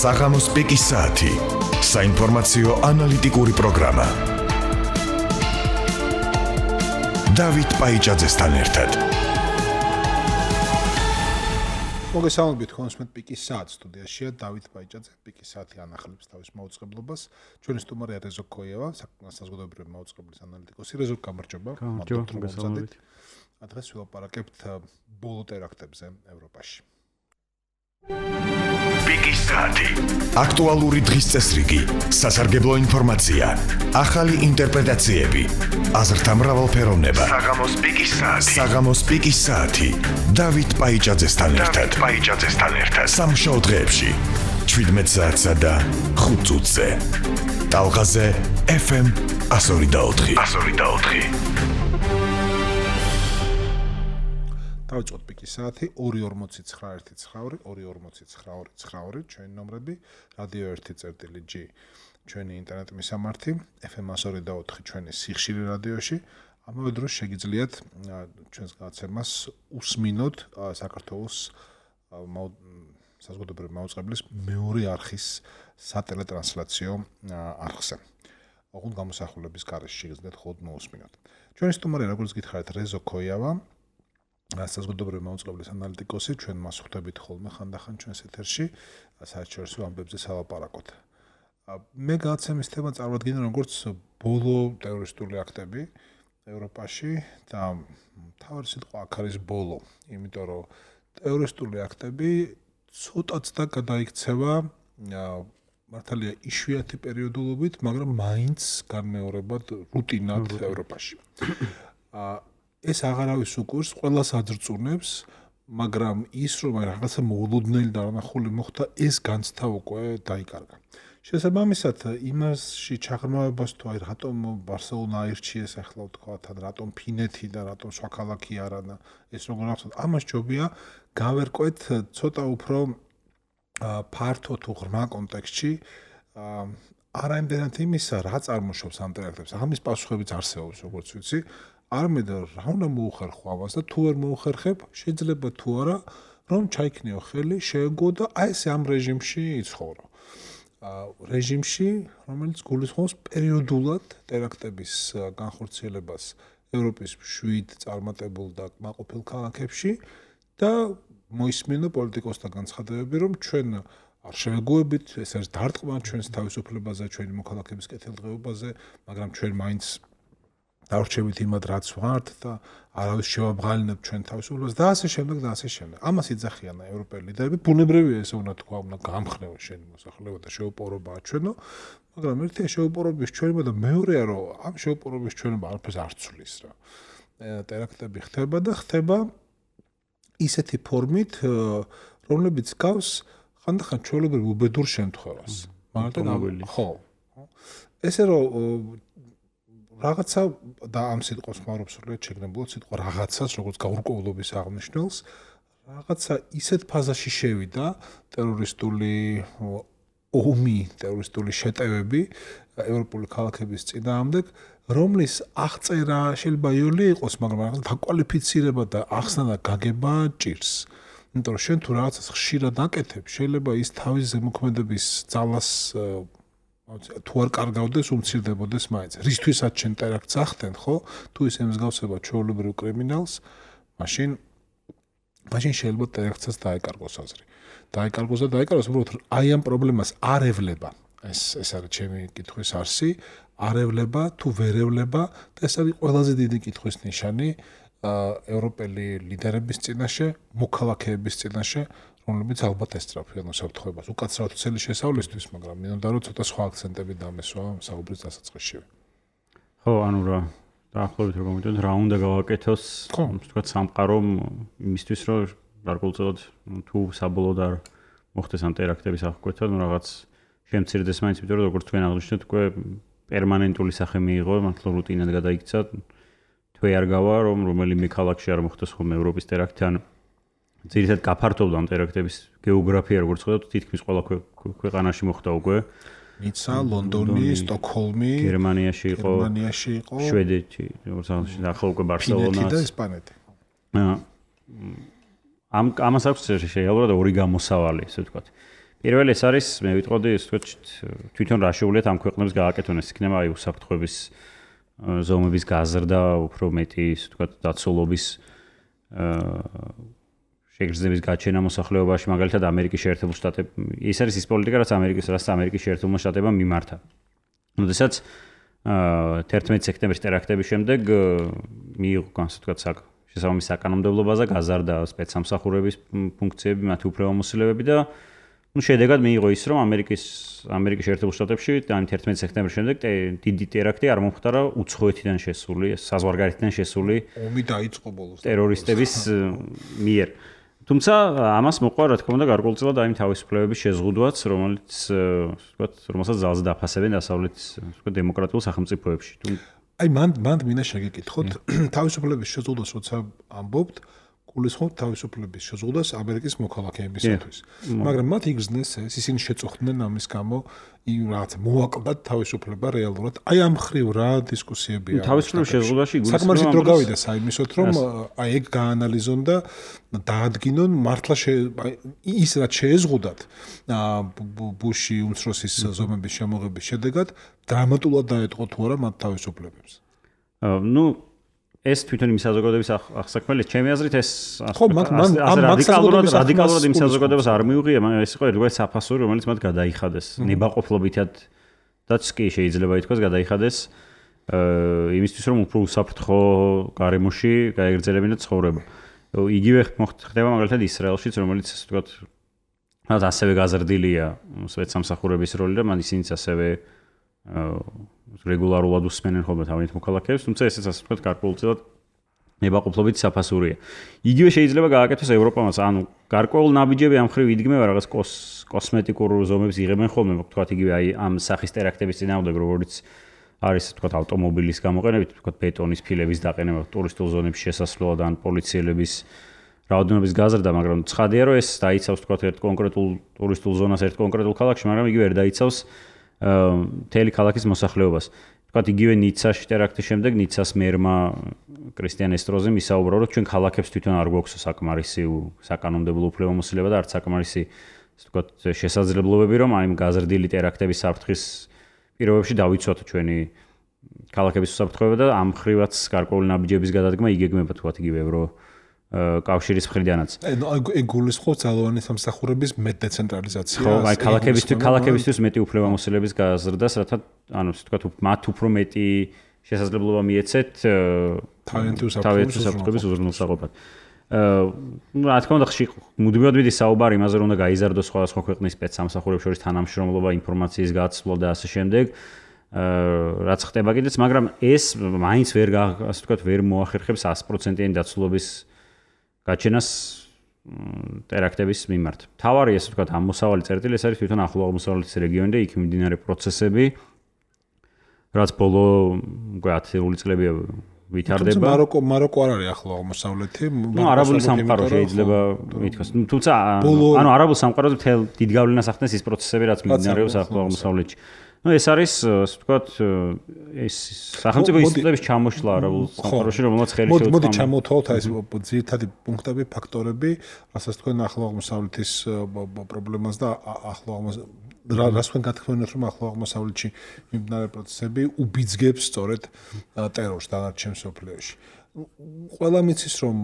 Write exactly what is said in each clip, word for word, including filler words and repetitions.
საღამოს პიკის საათი. საინფორმაციო ანალიტიკური პროგრამა. დავით პაიჭაძესთან ერთად. მოგესალმებით ხონსმეთ პიკის საათს სტუდიაშია დავით პაიჭაძე. პიკის საათი ანახულებს თავის მაუწყებლობას. ჩვენი სტუმარია რეზო ქოიევა, საზოგადოებრივი მაუწყებლის ანალიტიკოსი. რეზო, გამარჯობა. მოგესალმებით. დღეს ვილაპარაკებთ ბოლო ტერაქტებზე ევროპაში. პიკის საათი. აქტუალური დღის წესრიგი, სასარგებლო ინფორმაცია, ახალი ინტერპრეტაციები, აზრთა მრავალფეროვნება. საღამოს პიკის საათი. საღამოს პიკის საათი. დავით პაიჭაძესთან ერთად. პაიჭაძესთან ერთად. სამშაბათ დღეებში შვიდმეტ საათსა და ხუთ წუთზე. ტალღაზე ეფ ემ one oh four. one oh four. დავიწყოთ პიკის საათი ორი ორმოცი ცხრა ერთი ცხრა ორი ორმოცი ცხრა ორი ცხრა ორი ჩვენი ნომრები, რადიო ერთი წერტილი ჯი ჩვენი ინტერნეტ მისამართი, ეფ ემ one oh four ჩვენი სიხშირე რადიოში. ამავე დროს შეგიძლიათ ჩვენს გადაცემას უსმინოთ საქართველოს საზოგადოებრივი მაუწყებლის მეორე არხის სატელეტრანსლაციო არხზე. ოღონდ გამოსახულების გარეშე შეგიძლიათ მხოლოდ მოусმინოთ. ჩვენი სტუმარი, როგორც გითხარით, რეზო ქოიევა, საზოგადოებრივი მაუწყებლის ანალიტიკოსი, ჩვენ მას ხვდებით ხოლმე ხანდახან ჩვენს ეთერში, საერთაშორისო ამბებზე სალაპარაკოთ. მე გადაცემის თემა წარვადგინე როგორც ბოლო ტერორისტული აქტები ევროპაში და მთავარი სიტყვა აქ არის ბოლო, იმიტომ რომ ტერორისტული აქტები ცოტაც და გადაიქცევა მართალია იშვიათი პერიოდულობით, მაგრამ მაინც განმეორებად რუტინად ევროპაში. ეს აღარავის უკურს ყველას აძრწუნებს, მაგრამ ის რომ რაღაცა მოულოდნელი დანახული მოხდა, ეს განცდა უკვე დაიკარგა. შესაბამისად, იმასში ჩაღრმავებას თუ აი რატომ ბარსელონა აირჩიეს ახლა ვთქვათ, რატომ ფინეთი და რატომ სხვა ქალაქი არა და ეს როგორ ახსოვთ, ამას ჯობია გავერკვეთ ცოტა უფრო ფართო თუ ღრმა კონტექსტში, არა იმდენად იმისა, რა წარმოშობს ამ ტერაქტებს. ამის პასუხებიც არსებობს, როგორც ვიცი. არამედ რა უნდა მოუხერხო ამას და თუ ვერ მოუხერხებ, შეიძლება თუ არა, რომ ჩაიქნიო ხელი, შეეგო და აი ესე ამ რეჟიმში იცხოვრო. რეჟიმში, რომელიც გულისხმობს პერიოდულად ტერაქტების განხორციელებას ევროპის შვიდ წარმატებულ და კმაყოფილ ქალაქებში და მოისმინო პოლიტიკოსთა განცხადებები, რომ ჩვენ არ შევეგუებით, ეს არის დარტყმა ჩვენს თავისუფლებაზე, ჩვენი მოქალაქეების კეთილდღეობაზე, მაგრამ ჩვენ მაინც დავრჩებით იმად, რაც ვართ და არავის შევაბღალინებთ ჩვენ თავისუფლებას და ასე შემდეგ და ასე შემდეგ. ამას იძახიან ევროპელი ლიდერები, ბუნებრივია ესე უნდა თქვა, უნდა გამხნევო შენი მოსახლეობა და შეუპოვრობა აჩვენო, მაგრამ ერთია შეუპოვრობის ჩვენება და მეორეა, რომ ამ შეუპოვრობის ჩვენება არაფერს არ ცვლის რა. ტერაქტები ხდება და ხდება ისეთი ფორმით, რომლებიც გავს ხანდახან ჩვეულებრივ უბედურ შემთხვევას. მაგრამ ხო. ესე რომ რაღაცა და ამ სიტყვას ხმარობს სრულიად შეგნებულად სიტყვა რაღაცას, როგორც გაურკვევლობის აღნიშნულს, რაღაცა ისეთ ფაზაში შევიდა ტერორისტული ომი, ტერორისტული შეტევები ევროპული ქალაქების წინააღმდეგ, რომლის აღწერა შეიძლება იოლი იყოს, მაგრამ რაღაცა დაკვალიფიცირება და ახსნა და გაგება ჭირს. იმიტომ რომ შენ თუ რაღაცას ხშირად აკეთებ, შეიძლება ის თავის ზემოქმედების ძალას თუ არ კარგავდეს, უმცირდებოდეს მაინც. რისთვისაც შენ ტერაქტს ახდენ, ხო? თუ ის ემსგავსება ჩვეულებრივ კრიმინალს, მაშინ მაშინ შეიძლება ტერაქტსაც დაეკარგოს აზრი. დაეკარგოს და დაეკარგოს, უბრალოდ აი ამ პრობლემას არ ევლება. ეს ეს არის ჩემი კითხვის არსი, არ ევლება თუ ვერ ევლება და ეს არის ყველაზე დიდი კითხვის ნიშანი ევროპელი ლიდერების წინაშე, მოქალაქეების წინაშე, რომლებიც ალბათ ესწრაფვიან უსაფრთხოებას. უკაცრავად ცელი შესავლისთვის, მაგრამ მინდა რომ ცოტა სხვა აქცენტები დამესვა საუბრის დასაწყისშივე. ხო, ანუ რა, დაახლოებით რომ მოგიტყვით, რა უნდა გავაკეთოს, თქვათ სამყარომ იმისთვის, რომ გარკვეულწილად თუ საბოლოოდ არ მოხდეს ამ ტერაქტების აღკვეთა, ნუ რაღაც შემცირდეს მაინც, იმიტომ რომ როგორც თქვენ აღნიშნეთ, უკვე პერმანენტული სახე მიიღო, მართლა რუტინად გადაიქცა. თვე არ გავა, რომ რომელიმე ქალაქში არ მოხდეს ხოლმე ევროპის ტერაქტი, ან ძირითადად გაფართოვდა ამ ტერაქტების გეოგრაფია, როგორც ხედავთ, თითქმის ყველა ქვეყანაში მოხდა უკვე. ნიცა, ლონდონი, სტოკჰოლმი, გერმანიაში იყო, გერმანიაში იყო, შვედეთი, როგორც აღნიშნეთ, ახლა უკვე ბარსელონაც. ფინეთი და ესპანეთი. ამ ამას აქვს რეალურად ორი გამოსავალი, ესე ვთქვათ. პირველი ეს არის, მე ვიტყოდი, ასე ვთქვათ, თვითონ რა შეუძლიათ ამ ქვეყნებს გააკეთონ, ეს იქნება აი უსაფრთხოების ზომების გაზრდა, უფრო მეტი, ასე ვთქვათ, დაცულობის შეგრძნების გაჩენა მოსახლეობაში, მაგალითად ამერიკის შეერთებულ შტატებში. ეს არის ის პოლიტიკა, რაც ამერიკის, რაც ამერიკის შეერთებულმა შტატებმა მიმართა. როდესაც თერთმეტი სექტემბრის ტერაქტების შემდეგ მიიღო, ასე ვთქვათ, შესაბამის საკანონმდებლობაზე გაზარდა სპეცსამსახურების ფუნქციები, მათი უფლებამოსილებები და ну შედეგად მიიღო ის, რომ ამერიკის ამერიკის შეერთებულ შტატებში ან თერთმეტი სექტემბრის შემდეგ დიდი ტერაქტი არ მომხდარა უცხოეთიდან შესული, საზღვარგარეთიდან შესული ომი დაიწყო ბოლოს ტერორისტების მიერ. თუმცა ამას მოყვა რა თქმა უნდა გარკვეულწილად აი თავისუფლებების შეზღუდვაც, რომელიც ვთქვათ, რომელსაც ძალზე დაფასებენ დასავლეთის ვთქვათ დემოკრატიულ სახელმწიფოებში. აი მან მან მინდა შეგეკითხოთ თავისუფლების შეზღუდვას როცა ამბობთ გულისხმობთ თავისუფლების შეზღუდვას ამერიკის მოქალაქეებისათვის. მაგრამ მათ იგრძნეს ეს ისინი შეწუხდნენ ამის გამო იმ რაღაც მოაკლდათ თავისუფლება რეალურად. აი ამ ხრივ რა დისკუსიებია. თავისუფლების შეზღუდვაში გულისხმობთ საკმარისი დრო გავიდა საიმისოთ რომ აი ეგ გაანალიზონ და დაადგინონ მართლა ის რაც შეეზღუდათ ბუში უმცროსის ზომების შემოღების შედეგად დრამატულად დაეთყო თუ არა მათ თავისუფლებებს. ნუ ეს თვითონ იმ საზოგადოების აღსაქმელი, ჩემი აზრით ეს ხო, მან ამ რადიკალურად რადიკალურად იმ საზოგადოებას არ მიუღია, ეს იყო ერთგვარი საფასური, რომელიც მათ გადაიხადეს. ნებაყოფლობითადაც კი შეიძლება ითქვას გადაიხადეს იმისთვის, რომ უფრო უსაფრთხო გარემოში გაეგრძელებინათ ცხოვრება. იგივე ხდება მაგალითად ისრაელშიც, რომელიც ასე ვთქვათ, რაც ასევე გაზრდილია სპეცსამსახურების როლი და მან ისინიც ასევე რეგულარულად უსმენენ ხოლმე თავიანთ მოქალაქეებს, თუმცა ესეც ასე ვთქვათ გარკვეულწილად ნებაყოფლობით საფასურია. იგივე შეიძლება გააკეთოს ევროპამაც, ანუ გარკვეულ ნაბიჯები ამ ხრივ იდგმება რაღაც კოსმეტიკურ ზომებს იღებენ ხოლმე, ვთქვათ იგივე აი ამ სახის ტერაქტების წინააღმდეგ, როგორც არის ვთქვათ ავტომობილის გამოყენებით, ვთქვათ ბეტონის ფილების დაყენება ტურისტულ ზონებში შესასვლელად ან პოლიციელების რაოდენობის გაზრდა, მაგრამ ცხადია რომ ეს დაიცავს ვთქვათ ერთ კონკრეტულ ტურისტულ ზონას ერთ კონკრეტულ ქალაქში, მაგრამ იგივე ვერ დაიცავს მთელი ქალაქის მოსახლეობას. ვთქვათ, იგივე ნიცაში ტერაქტის შემდეგ ნიცას მერმა კრისტიან ესტროზემ ისაუბრა, რომ ჩვენ ქალაქებს თვითონ არ გვაქვს საკმარისი საკანონმდებლო უფლებამოსილება და არც საკმარისი, ვთქვათ, შესაძლებლობები, რომ აი გაზრდილი ტერაქტების საფრთხის პირობებში დავიცვათ ჩვენი ქალაქების უსაფრთხოება და ამ ხრივაც გარკვეული ნაბიჯების გადადგმა იგეგმება, ვთქვათ, იგივე ევრო კავშირის მხრიდანაც. ეგ გულისხმობს ძალოვანი სამსახურების მეტ დეცენტრალიზაციას. ხო, აი ქალაქებისთვის, ქალაქებისთვის მეტი უფლებამოსილების გაზრდას, რათა ანუ ვთქვათ, მათ უფრო მეტი შესაძლებლობა მიეცეთ თავიანთი უსაფრთხოების უზრუნველსაყოფად. ну, რა თქმა უნდა, ხშირ მუდმივად მიდის საუბარი იმაზე, რომ უნდა გაიზარდოს სხვადასხვა ქვეყნის სპეცსამსახურებს შორის თანამშრომლობა, ინფორმაციის გაცვლა და ასე შემდეგ. რაც ხდება კიდეც, მაგრამ ეს მაინც ვერ ასე ვთქვათ, ვერ მოახერხებს ას პროცენტიანი დაცულობის გაჩენას ტერაქტების მიმართ. თავარი ესე ვთქვათ, ამოსავალი წერტილი ეს არის თვითონ ახლო აღმოსავლეთის რეგიონი და იქ მიმდინარე პროცესები, რაც ბოლო უკვე ათეული წლები ვითარდება. თუმცა მაროკო მაროკო არ არის ახლო აღმოსავლეთი. ნუ არაბული სამყარო შეიძლება ითქვას. თუმცა ანუ არაბულ სამყაროზე მთელ დიდ გავლენას ახდენს ის პროცესები, რაც მიმდინარეობს ახლო აღმოსავლეთში. ну ეს არის ასე ვთქვათ ეს სახელმწიფო ინსტიტუტების ჩამოშლა არაბულ სამყაროში, რომელსაც ხელი შეუწყო. მოდი ჩამოვთვალოთ აი ეს ძირითადი პუნქტები, ფაქტორები, რასაც თქვენ ახლო აღმოსავლეთის პრობლემას და ახლო აღმოსავლეთ რას თქვენ გათქმევინოთ, რომ ახლო აღმოსავლეთში მიმდინარე პროცესები უბიძგებს სწორედ ტერორს დანარჩენ სოფლიოში. ყველა მიცის რომ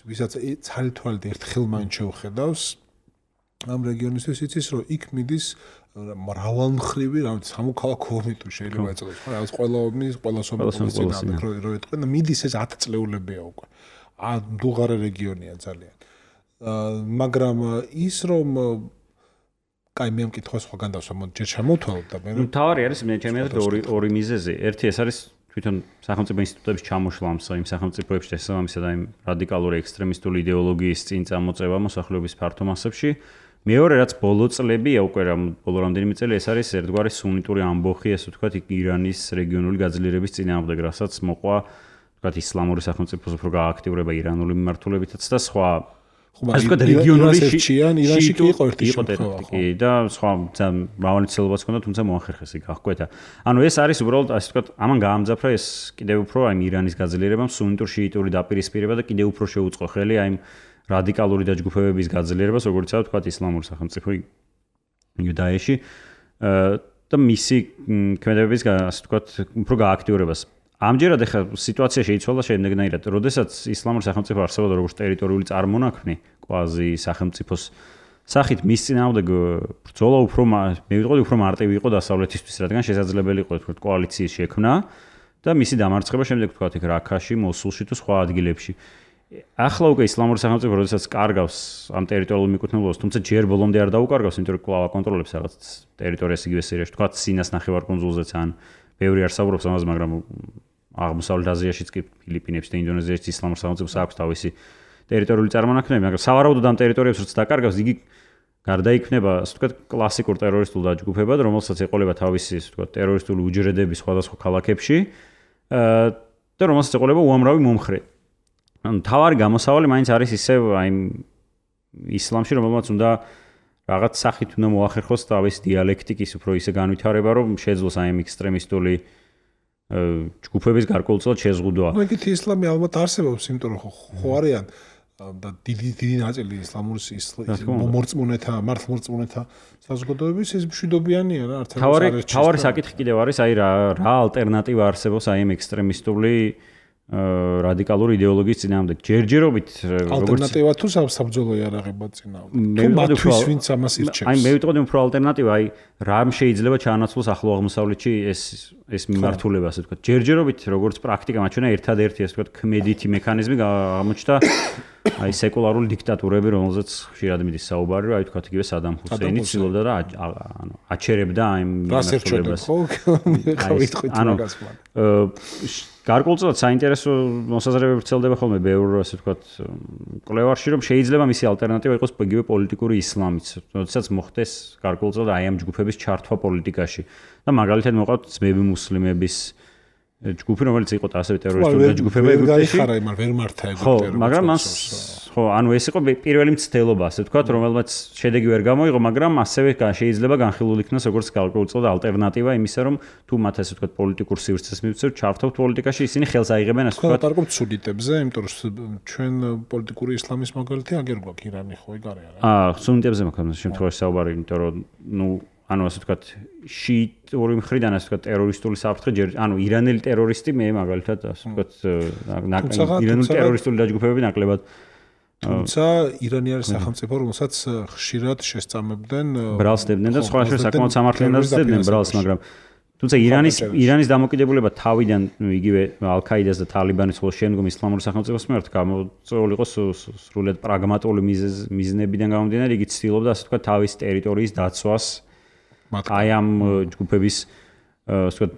ვისაც ცალ-თვალით ერთხელ მაინც შეუხედავს ამ რეგიონისთვის იცის რომ იქ მიდის მრავალმხრივი, რაღაც სამოქალაქო ომი თუ შეიძლება ეწოდოს, ხო, რაღაც ყველა ომი, ყველა სოფლის წინააღმდეგ რო ეტყვენ და მიდის ეს ათი წლეულებია უკვე. ა დუღარე რეგიონია ძალიან. მაგრამ ის რომ კაი მე მკითხვა სხვაგან დავსვა, მოდი ჯერ ჩამოვთვალოთ და მე ნუ თავარი არის მე ჩემი აზრით ორი ორი მიზეზი. ერთი ეს არის თვითონ სახელმწიფო ინსტიტუტების ჩამოშლა იმ სახელმწიფოებში შესაბამისად აი რადიკალური ექსტრემისტული იდეოლოგიის წინ წამოწევა მოსახლეობის ფართო მასებში. მეორე რაც ბოლო წლებია უკვე რა ბოლო რამდენიმე წელი ეს არის ერთგვარი სუნიტური ამბოხი, ასე ვთქვათ, ირანის რეგიონული გაძლიერების წინააღმდეგ, რასაც მოყვა, ვთქვათ, ისლამური სახელმწიფოს უფრო გააქტიურება ირანული მიმართულებითაც და სხვა ასე ვთქვათ, რეგიონული ირანში კი იყო ერთი შემთხვევა და სხვა მრავალნიცელობაც ჰქონდა, თუმცა მოახერხეს იქ აღკვეთა. ანუ ეს არის უბრალოდ ასე ვთქვათ, ამან გაამძაფრა ეს კიდევ უფრო აი ირანის გაძლიერებამ სუნიტურ შიიტური დაპირისპირება და კიდევ უფრო შეუწყო ხელი აი რადიკალური დაჯგუფებების გაძლიერებას, როგორიცაა ვთქვათ ისლამური სახელმწიფო იუდაიაში და მისი ქმედებების ასე ვთქვათ, უფრო გააქტიურებას. ამჯერად ახლა სიტუაცია შეიცვალა შემდეგნაირად, როდესაც ისლამური სახელმწიფო არსებობდა როგორც ტერიტორიული წარმონაქმნი, კვაზი სახელმწიფოს სახით მის წინააღმდეგ ბრძოლა უფრო მე ვიტყოდი უფრო მარტივი იყო დასავლეთისთვის, რადგან შესაძლებელი იყო თქო კოალიციის შექმნა და მისი დამარცხება შემდეგ თქვა იქ რაქაში, მოსულში თუ სხვა ადგილებში. ახლა უკვე ისლამური სახელმწიფო როდესაც კარგავს ამ ტერიტორიულ მიკუთვნელობას, თუმცა ჯერ ბოლომდე არ დაუკარგავს, იმიტომ რომ კვლავ აკონტროლებს რაღაც ტერიტორიას იგივე სირიაში, თქვა სინას ნახევარკუნძულზეც ან ბევრი არ საუბრობს ამაზე, მაგრამ აღმოსავლეთ აზიაშიც კი ფილიპინებში და ინდონეზიაში ისლამურ სახელმწიფოს აქვს თავისი ტერიტორიული წარმონაქმნები, მაგრამ სავარაუდოდ ამ ტერიტორიებს როცა დაკარგავს, იგი გარდაიქმნება, ასე ვთქვათ, კლასიკურ ტერორისტულ დაჯგუფებად, რომელსაც ეყოლება თავისი, ასე ვთქვათ, ტერორისტული უჯრედები სხვადასხვა ქალაქებში და რომელსაც ეყოლება უამრავი მომხრე. ანუ თავარი გამოსავალი მაინც არის ისევ აი ისლამში, რომელმაც უნდა რაღაც სახით უნდა მოახერხოს თავის დიალექტიკის უფრო ისე განვითარება, რომ შეძლოს აი ექსტრემისტული ჯგუფების გარკვეულწილად შეზღუდვა. ნუ ეგეთი ისლამი ალბათ არსებობს, იმიტომ რომ ხო არიან და დიდი დიდი ნაწილი ისლამურის მომორწმუნეთა, მართლმორწმუნეთა საზოგადოების ეს მშვიდობიანია რა, არც არ არის. თავარი საკითხი კიდევ არის, აი რა რა ალტერნატივა არსებობს აი ამ ექსტრემისტული რადიკალური იდეოლოგიის წინააღმდეგ. ჯერჯერობით როგორც ალტერნატივა თუ საბრძოლო იარაღება წინააღმდეგ. თუ მათთვის ვინც ამას ირჩევს. აი მე ვიტყოდი უფრო ალტერნატივა, აი რამ შეიძლება ჩაანაცვლოს ახლო აღმოსავლეთში ეს ეს მიმართულება, ასე ვთქვათ. ჯერჯერობით როგორც პრაქტიკა მაჩვენა ერთადერთი ასე ვთქვათ ქმედითი მექანიზმი აღმოჩნდა აი სეკულარული დიქტატურები, რომელზეც ხშირად მიდის საუბარი, აი ვთქვათ იგივე სადამ ჰუსეინი ცდილობდა და ანუ აჩერებდა აი მიმართულებას. ანუ გარკვეულწილად საინტერესო მოსაზრებები ვრცელდება ხოლმე ბევრ ასე ვთქვათ კვლევარში, რომ შეიძლება მისი ალტერნატივა იყოს იგივე პოლიტიკური ისლამიც, როდესაც მოხდეს გარკვეულწილად აი ამ ჯგუფების ჩართვა პოლიტიკაში. და მაგალითად მოყავთ ძმები მუსლიმების ჯგუფი, რომელიც იყო ასევე ტერორისტული ჯგუფები ეგვიპტეში. ვერ გაიხარა, მაგრამ ვერ მართა ეგვიპტე. ხო, მაგრამ მას ხო, ანუ ეს იყო პირველი მცდელობა, ასე ვთქვათ, რომელმაც შედეგი ვერ გამოიღო, მაგრამ ასევე შეიძლება განხილული იქნას როგორც გარკვეულწილად ალტერნატივა იმისა, რომ თუ მათ ასე ვთქვათ პოლიტიკურ სივრცეს მივცევთ, ჩართავთ პოლიტიკაში, ისინი ხელს აიღებენ ასე ვთქვათ. ხო, სუნიტებზე, იმიტომ რომ ჩვენ პოლიტიკური ისლამის მაგალითი აგერ გვაქვს ირანი, ხო, ეგ არის რა. აა, სუნიტებზე მაქვს ამ შემთხვევაში საუბარი, იმიტომ რომ ნუ ანუ ასე ვთქვათ, შიიტური მხრიდან ასე ვთქვათ, ტერორისტული საფრთხე ჯერ, ანუ ირანელი ტერორისტი მე მაგალითად ასე ვთქვათ, ირანული ტერორისტული დაჯგუფებები ნაკლებად თუმცა ირანი არის სახელმწიფო, რომელსაც ხშირად შესწამებდნენ ბრალს დებდნენ და სხვა შორის საკმაოდ სამართლიანად დებდნენ ბრალს, მაგრამ თუმცა ირანის ირანის დამოკიდებულება თავიდან იგივე ალ-ქაიდას და თალიბანის ხოლო შემდგომ ისლამური სახელმწიფოს მიმართ გამოწვეული იყო სრულიად პრაგმატული მიზნებიდან გამომდინარე, იგი ცდილობდა ასე ვთქვათ თავის ტერიტორიის დაცვას აი ამ ჯგუფების ასე ვთქვათ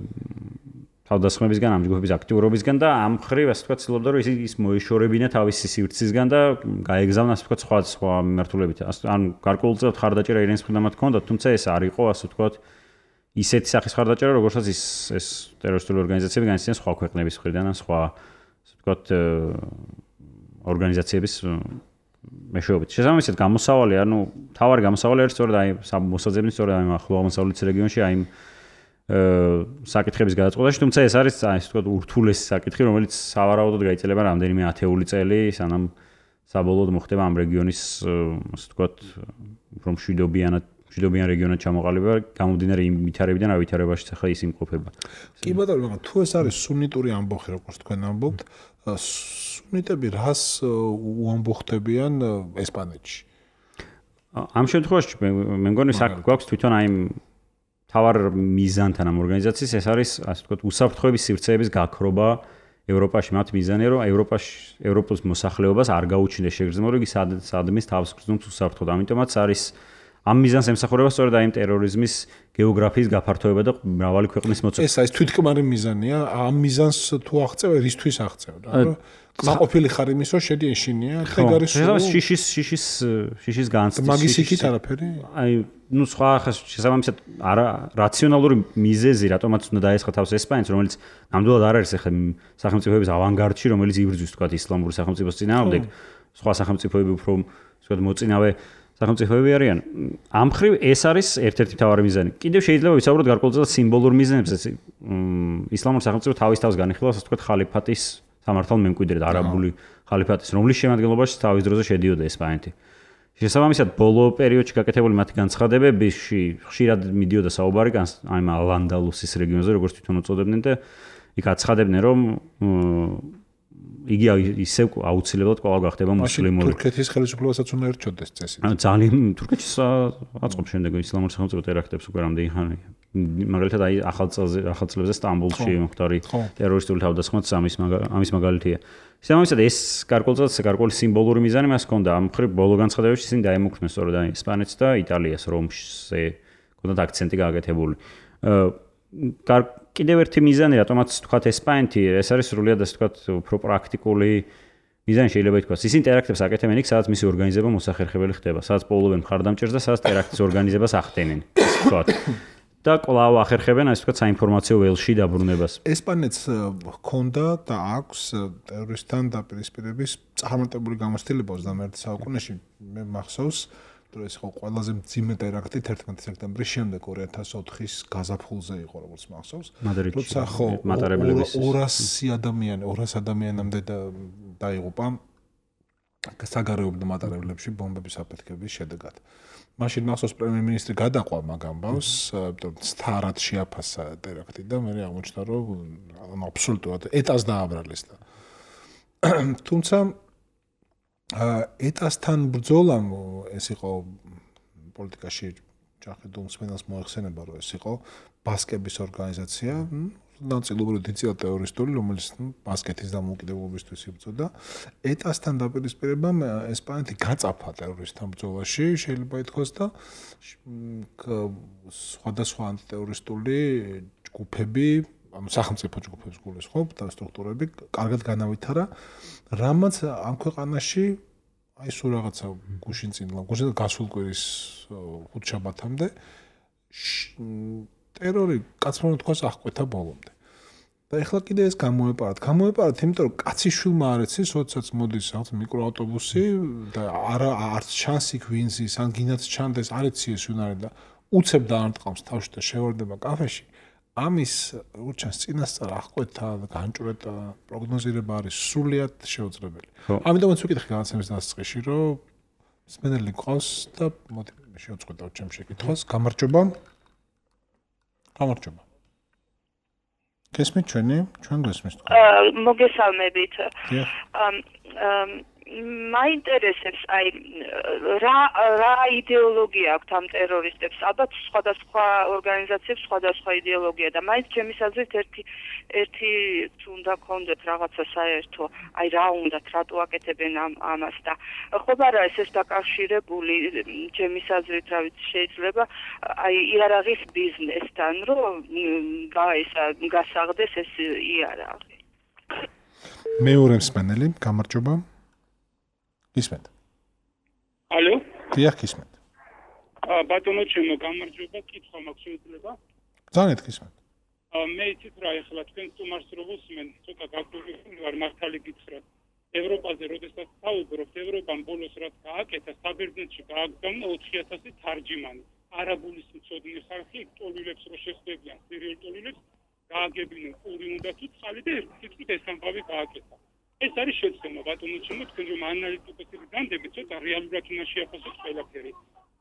თავდასხმებისგან, ამ ჯგუფების აქტიურობისგან და ამ მხრივ ასე ვთქვათ ცდილობდა რომ ის მოეშორებინა თავისი სივრცისგან და გაეგზავნა ასე ვთქვათ სხვა სხვა მიმართულებით. ანუ გარკვეულწილად ხარდაჭერა ირანის მხრიდან მათ ჰქონდა, თუმცა ეს არ იყო ასე ვთქვათ ისეთი სახის ხარდაჭერა, როგორცაც ის ეს ტერორისტული ორგანიზაციები განიცდიან სხვა ქვეყნების მხრიდან ან სხვა ასე ვთქვათ ორგანიზაციების მეშვეობით. შესაბამისად გამოსავალი, ანუ თავარი გამოსავალი არის სწორედ აი მოსაძებნის სწორედ აი ახლო აღმოსავლეთის რეგიონში აი საკითხების გადაწყვეტაში, თუმცა ეს არის აი ასე ვთქვათ ურთულესი საკითხი, რომელიც სავარაუდოდ გაიწელება რამდენიმე ათეული წელი, სანამ საბოლოოდ მოხდება ამ რეგიონის ასე ვთქვათ უფრო მშვიდობიანად მშვიდობიან რეგიონად ჩამოყალიბება, გამომდინარე იმ ვითარებიდან, რა ვითარებაშიც ახლა ის იმყოფება. კი ბატონო, მაგრამ თუ ეს არის სუნიტური ამბოხი, როგორც თქვენ ამბობთ, სუნიტები რას უამბოხდებიან ესპანეთში? ამ შემთხვევაში მე მგონი საქმე გვაქვს თვითონ აი თავარ მიზანთან ამ ორგანიზაციის, ეს არის ასე ვთქვათ უსაფრთხოების სივრცეების გაქრობა ევროპაში. მათ მიზანია, რომ ევროპაში ევროპის მოსახლეობას არ გაუჩინდეს შეგრძნება, რომ იგი სადმის თავს გრძნობს უსაფრთხოდ. ამიტომაც არის ამ მიზანს ემსახურება სწორედ აი ტერორიზმის გეოგრაფიის გაფართოება და მრავალი ქვეყნის მოწესრიგება. ეს არის თვითკმარი მიზანია, ამ მიზანს თუ აღწევ, ერისთვის აღწევ, რა. კმაყოფილი ხარ იმის, რომ შედი ეშინია, ეგ არის შიშის შიშის შიშის განცდის. მაგის იქით არაფერი? აი, ნუ სხვა ხა შესაბამისად არა რაციონალური მიზეზი, რატომაც უნდა დაესხა თავს ესპანეთს, რომელიც ნამდვილად არ არის ახლა სახელმწიფოების ავანგარდში, რომელიც იბრძვის თქვა ისლამური სახელმწიფოს წინააღმდეგ. სხვა სახელმწიფოები უფრო თქვა მოწინავე სახელმწიფოები არიან. ამ მხრივ ეს არის ერთ-ერთი მთავარი მიზანი. კიდევ შეიძლება ვისაუბროთ გარკვეულწილად სიმბოლურ მიზნებზე. ისლამური სახელმწიფო თავის თავს განიხილავს, ასე ვთქვათ, ხალიფატის სამართალ მემკვიდრედ, არაბული ხალიფატის, რომლის შემადგენლობაში თავის დროზე შედიოდა ესპანეთი. შესაბამისად, ბოლო პერიოდში გაკეთებული მათი განცხადებებში ხშირად მიდიოდა საუბარი აი ამ ალ-ანდალუსის რეგიონზე, როგორც თვითონ უწოდებდნენ და იქ აცხადებდნენ, რომ იგი ისევ აუცილებლად კვლავ გახდება მუსლიმური. თურქეთის ხელისუფლებასაც უნდა ერჩოდეს წესი. ანუ ძალიან თურქეთის აწყობს შემდეგ ისლამური სახელმწიფო ტერაქტებს უკვე რამდენი ხანია. მაგალითად აი ახალ წელზე ახალ წლებზე სტამბოლში მოხდარი ტერორისტული თავდასხმაც ამის ამის მაგალითია. შესაბამისად ეს გარკვეულწილად გარკვეული სიმბოლური მიზანი მას ჰქონდა. ამ მხრივ ბოლო განცხადებებში ისინი დაემუქრნენ სწორედ აი ესპანეთს და იტალიას, რომზე ჰქონდათ აქცენტი გააკეთებული. კიდევ ერთი მიზანი, რატომაც თქვათ ესპანეთი, ეს არის სრულიად ასე თქვათ უფრო პრაქტიკული მიზანი შეიძლება ითქვას. ისინი ტერაქტებს აკეთებენ იქ, სადაც მისი ორგანიზება მოსახერხებელი ხდება, სადაც პოულობენ მხარდამჭერს და სადაც ტერაქტის ორგანიზებას ახდენენ, ასე ვთქვათ. და კვლავ ახერხებენ ასე ვთქვათ საინფორმაციო ველში დაბრუნებას. ესპანეთს ჰქონდა და აქვს ტერორისტთან დაპირისპირების წარმატებული გამოცდილება ოცდამეერთე საუკუნეში. მე მახსოვს რომ ეს იყო ყველაზე მძიმე ტერაქტი თერთმეტი სექტემბრის შემდეგ ორი ათას ოთხის გაზაფხულზე იყო, როგორც მახსოვს. როცა ხო ორასი ადამიანი, ორასი ადამიანამდე დაიღუპა საგარეუბნო მატარებლებში ბომბების აფეთქების შედეგად. მაშინ მახსოვს პრემიერ-მინისტრი გადაყვა მაგ ამბავს, სტარად შეაფასა ტერაქტი და მე აღმოჩნდა რომ აბსოლუტურად ეტას დააბრალეს და თუმცა ეტასთან ბრძოლამ ეს იყო პოლიტიკაში ჯახედ უმსმენელს მოეხსენება რომ ეს იყო ბასკების ორგანიზაცია, ნაწილობრივ დიწია ტერორისტული, რომელიც ბასკეთის დამოუკიდებლობისთვის იბრძოდა. ეტასთან დაპირისპირებამ ესპანეთი გაწაფა ტერორისტთან ბრძოლაში, შეიძლება ითქვას და სხვადასხვა ანტიტერორისტული ჯგუფები, ანუ სახელმწიფო ჯგუფებს გულისხმობ და სტრუქტურები კარგად განავითარა, რამაც ამ ქვეყანაში აი სულ რაღაცა გუშინ წინ გუშინ გასულ კვირის ხუთშაბათამდე ტერორი კაცმან თქვას აღკვეთა ბოლომდე. და ეხლა კიდე ეს გამოეპარათ. გამოეპარათ, იმიტომ რომ კაცი შვილმა არ ეცის, როდესაც მოდის რაღაც მიკროავტობუსი და არა არც ჩანს იქ ვინ ზის, ან გინაც ჩანდეს, არ ეციეს ვინ არის და უცებ დაარტყამს თავში და შევარდება კაფეში. ამის როგორც ჩანს წინასწარ აღკვეთა და განჭვრეტა პროგნოზირება არის სრულიად შეუძლებელი. ამიტომაც ვიკითხე განაცემის დასაწყისში, რომ მსმენელი ყავს და მოდი შევწყვეტავ ჩემ შეკითხვას. გამარჯობა. გამარჯობა. გესმით ჩვენი? ჩვენ გესმით თქვენ. მოგესალმებით. მაინტერესებს აი რა რა იდეოლოგია აქვს ამ ტერორისტებს? ალბათ სხვადასხვა ორგანიზაციებს სხვადასხვა იდეოლოგია და მაინც ჩემის აზრით ერთი ერთი უნდა ქონდეთ რაღაცა საერთო, აი რა უნდათ, რატო აკეთებენ ამ ამას და ხომ არა ეს ეს დაკავშირებული ჩემის აზრით, რა ვიცი, შეიძლება აი იარაღის ბიზნესთან, რომ გაისა გასაღდეს ეს იარაღი. მეორე მსმენელი, გამარჯობა. ისმენთ. ალო? დიახ, ისმენთ. აა ბატონო ჩემო, გამარჯობა, კითხვა მაქვს შეიძლება? ძალიან გისმენთ. აა მე იცით რა ეხლა თქვენ სტუმარს რო ვუსმენ, ცოტა გაგვიგვი ვარ მართალი გითხრათ. ევროპაზე როდესაც საუბრობთ, ევროპამ ბოლოს რაც გააკეთა, საბერძნეთში გააგზავნა ოთხი ათასი თარჯიმანი. არაბულის მცოდნე ხალხი ტოლილებს რო შეხვდებიან, სერიალ ტოლილებს გააგებინენ პური უნდა თუ წყალი და ერთი თითქოს ეს ამბავი გააკეთა. ეს არის შეცდომა ბატონო ჩემო, თქვენ რომ ანალიტიკოსები განდებით, ცოტა რეალურად უნდა შეაფასოთ ყველაფერი.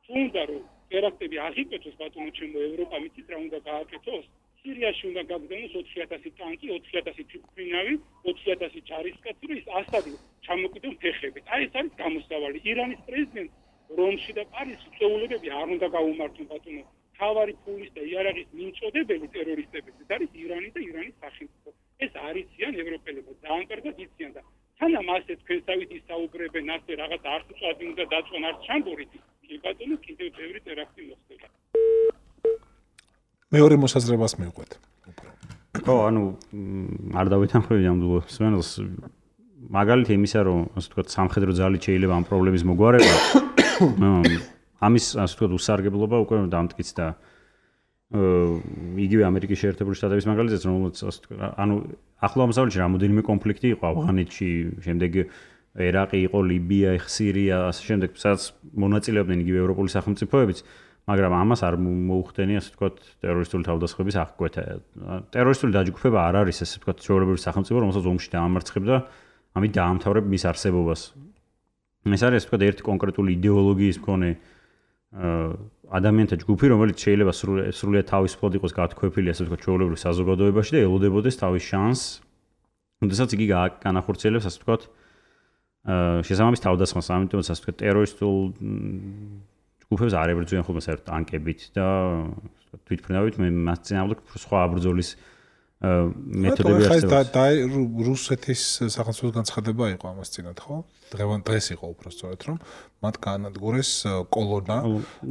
თუ უნდა რომ ტერაქტები აღიკვეთოს ბატონო ჩემო, ევროპა მიცით რა უნდა გააკეთოს? სირიაში უნდა გაგზავნოს ოთხი ათასი ტანკი, ოთხი ათასი თვითმფრინავი, ოთხი ათასი ჯარისკაცი, რომ ის ასადი ჩამოკიდონ ფეხებით. აი ეს არის გამოსავალი. ირანის პრეზიდენტ რომში და პარიზში წეულებები არ უნდა გაუმართონ ბატონო. თავარი ფულის და იარაღის მიმწოდებელი ტერორისტები არის ირანი და ირანის სახელმწიფო. ეს არიციან ევროპელებო, ძალიან კარგად იციან და თანამ ასე თქვენსავით ისაუბრებენ, ასე რაღაც არც წვადი უნდა დაწონ, არც ჩამბორით, კი ბატონო, კიდევ ბევრი ტერაქტი მოხდება. მეორე მოსაზრებას მივყვეთ. ხო, ანუ არ დავეთანხმები ამ მსმენელს. მაგალითი იმისა, რომ ასე ვთქვათ, სამხედრო ძალით შეიძლება ამ პრობლემის მოგვარება, ამის ასე ვთქვათ, უსარგებლობა უკვე დამტკიცდა იგივე ამერიკის შეერთებული შტატების მაგალითიც, რომელიც ასე ვთქვათ, ანუ ახლო აღმოსავლეთში რამოდენიმე კონფლიქტი იყო, ავღანეთში, შემდეგ ერაყი იყო, ლიბია, სირია, ასე შემდეგ, სადაც მონაწილეობდნენ იგივე ევროპული სახელმწიფოებიც, მაგრამ ამას არ მოუხდენი, ასე ვთქვათ, ტერორისტული თავდასხმების აღკვეთა. ტერორისტული დაჯგუფება არ არის, ასე ვთქვათ, ჩვეულებრივი სახელმწიფო, რომელსაც ომში დაამარცხებდა, ამით დაამთავრებ მის არსებობას. ეს არის ასე ვთქვათ ერთი კონკრეტული იდეოლოგიის მქონე ადამიანთა ჯგუფი, რომელიც შეიძლება სრულიად თავისუფლად იყოს გათქვეფილი ასე ვთქვათ ჩვეულებრივ საზოგადოებაში და ელოდებოდეს თავის შანსს. როდესაც იგი განახორციელებს ასე ვთქვათ შესაბამის თავდასხმას, ამიტომაც ასე ვთქვათ ტერორისტულ ჯგუფებს არ ებრძვიან ხოლმე საერთოდ ტანკებით და თვითმფრინავით მე მას წინააღმდეგ სხვა აბრძოლის მეთოდები არსებობს. და რუსეთის სახელმწიფოს განცხადება იყო ამას წინათ, ხო? დღევანდ დღეს იყო უბრალოდ რომ მათ გაანადგურეს კოლონა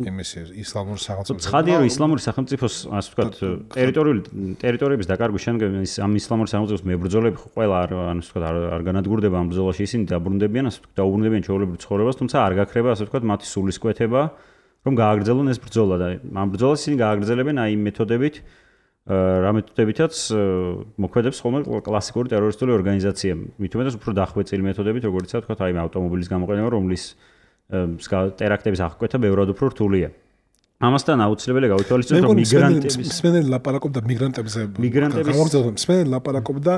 იმის ისლამური სახელმწიფოს. ცხადია რომ ისლამური სახელმწიფოს ასე ვთქვათ ტერიტორიული ტერიტორიების დაკარგვის შემდეგ ამ ისლამური სახელმწიფოს მებრძოლები ყველა ანუ ასე ვთქვათ არ განადგურდება ამ ბრძოლაში, ისინი დაბრუნდებიან ასე ვთქვათ დაუბრუნდებიან ჩვეულებრივ ცხოვრებას, თუმცა არ გაქრება ასე ვთქვათ მათი სულისკვეთება რომ გააგრძელონ ეს ბრძოლა და ამ ბრძოლას ისინი გააგრძელებენ აი მეთოდებით რა მეთოდებითაც მოქმედებს ხოლმე კლასიკური ტერორისტული ორგანიზაცია. მით უმეტეს უფრო დახვეწილი მეთოდებით, როგორც ვთქვათ, აი ავტომობილის გამოყენება, რომლის ტერაქტების აღკვეთა ბევრად უფრო რთულია. ამასთან აუცილებელია გავითვალისწინოთ, რომ მიგრანტების მსმენელი ლაპარაკობდა მიგრანტებზე. მიგრანტების მსმენელი ლაპარაკობდა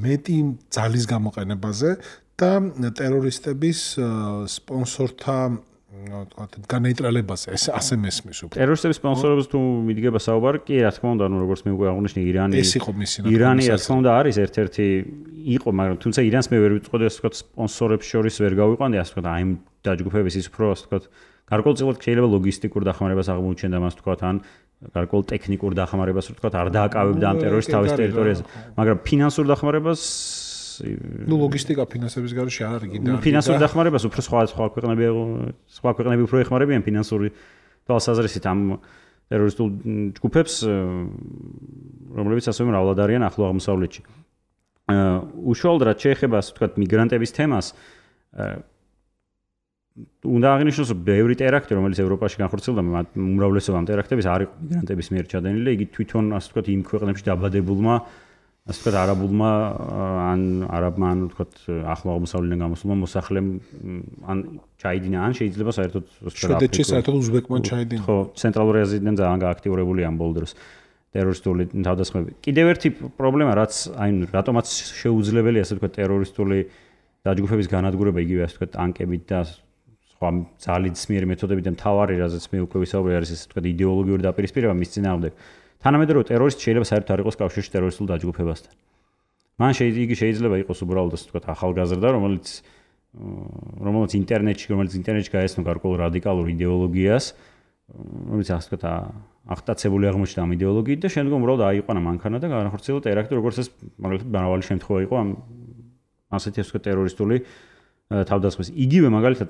მეტი ძალის გამოყენებაზე და ტერორისტების სპონსორთა ვთქვათ, განეიტრალებაზე, ეს ასე მესმის უფრო. ტერორისტების სპონსორებს თუ მიდგება საუბარი, კი, რა თქმა უნდა, ანუ როგორც მე უკვე აღნიშნე, ირანი ეს იყო მისი ნაკრები. ირანი, რა თქმა უნდა, არის ერთ-ერთი იყო, მაგრამ თუმცა ირანს მე ვერ ვიტყოდი, ასე ვთქვათ, სპონსორებს შორის ვერ გავიყვანდი, ასე ვთქვათ, აი ამ დაჯგუფების ის უფრო, ასე ვთქვათ, გარკვეულწილად შეიძლება ლოგისტიკურ დახმარებას აღმოუჩენდა მას ვთქვათ, ან გარკვეულ ტექნიკურ დახმარებას ვთქვათ, არ დააკავებდა ამ ტერორისტ თავის ტერიტორიაზე, მაგრამ ფინანსურ დახმარებას ნუ ლოგისტიკა ფინანსების გარშე არ არის კიდე. ფინანსურ დახმარებას უფრო სხვა სხვა ქვეყნები სხვა ქვეყნები უფრო ეხმარებიან ფინანსური თვალსაზრისით ამ ტერორისტულ ჯგუფებს, რომლებიც ასევე მრავლად არიან ახლო აღმოსავლეთში. უშუალოდ რაც შეეხება ასე ვთქვათ მიგრანტების თემას, უნდა აღინიშნოს, რომ ბევრი ტერაქტი, რომელიც ევროპაში განხორციელდა, უმრავლესობა ამ ტერაქტების არ იყო მიგრანტების მიერ ჩადენილი და იგი თვითონ ასე ვთქვათ იმ ქვეყნებში დაბადებულმა ასე ვთქვათ არაბულმა ან არაბმა ან ვთქვათ ახლო აღმოსავლეთიდან გამოსულმა მოსახლემ ან ჩაიდინა ან შეიძლება საერთოდ შვედეთში საერთოდ უზბეკმა ჩაიდინა. ხო, ცენტრალური აზიიდან ძალიან გააქტიურებულია ამ ბოლო დროს ტერორისტული თავდასხმები. კიდევ ერთი პრობლემა, რაც აი რატომაც შეუძლებელია ასე ვთქვათ ტერორისტული დაჯგუფების განადგურება იგივე ასე ვთქვათ ტანკებით და სხვა ძალისმიერი მეთოდებით და მთავარი რაზეც მე უკვე ვისაუბრე არის ასე ვთქვათ იდეოლოგიური დაპირისპირება მის წინააღმდეგ. თანამედროვე ტერორისტი შეიძლება საერთოდ არ იყოს კავშირში ტერორისტულ დაჯგუფებასთან. მან იგი შეიძლება იყოს უბრალოდ ასე ვთქვათ ახალგაზრდა, რომელიც რომელიც ინტერნეტში, რომელიც ინტერნეტში გაეცნო გარკვეულ რადიკალურ იდეოლოგიას, რომელიც ასე ვთქვათ აღტაცებული აღმოჩნდა ამ იდეოლოგიით და შემდგომ უბრალოდ აიყვანა მანქანა და განახორციელა ტერაქტი, როგორც ეს მაგალითად მრავალი შემთხვევა იყო ამ ასეთი ასე ვთქვათ ტერორისტული თავდასხმის. იგივე მაგალითად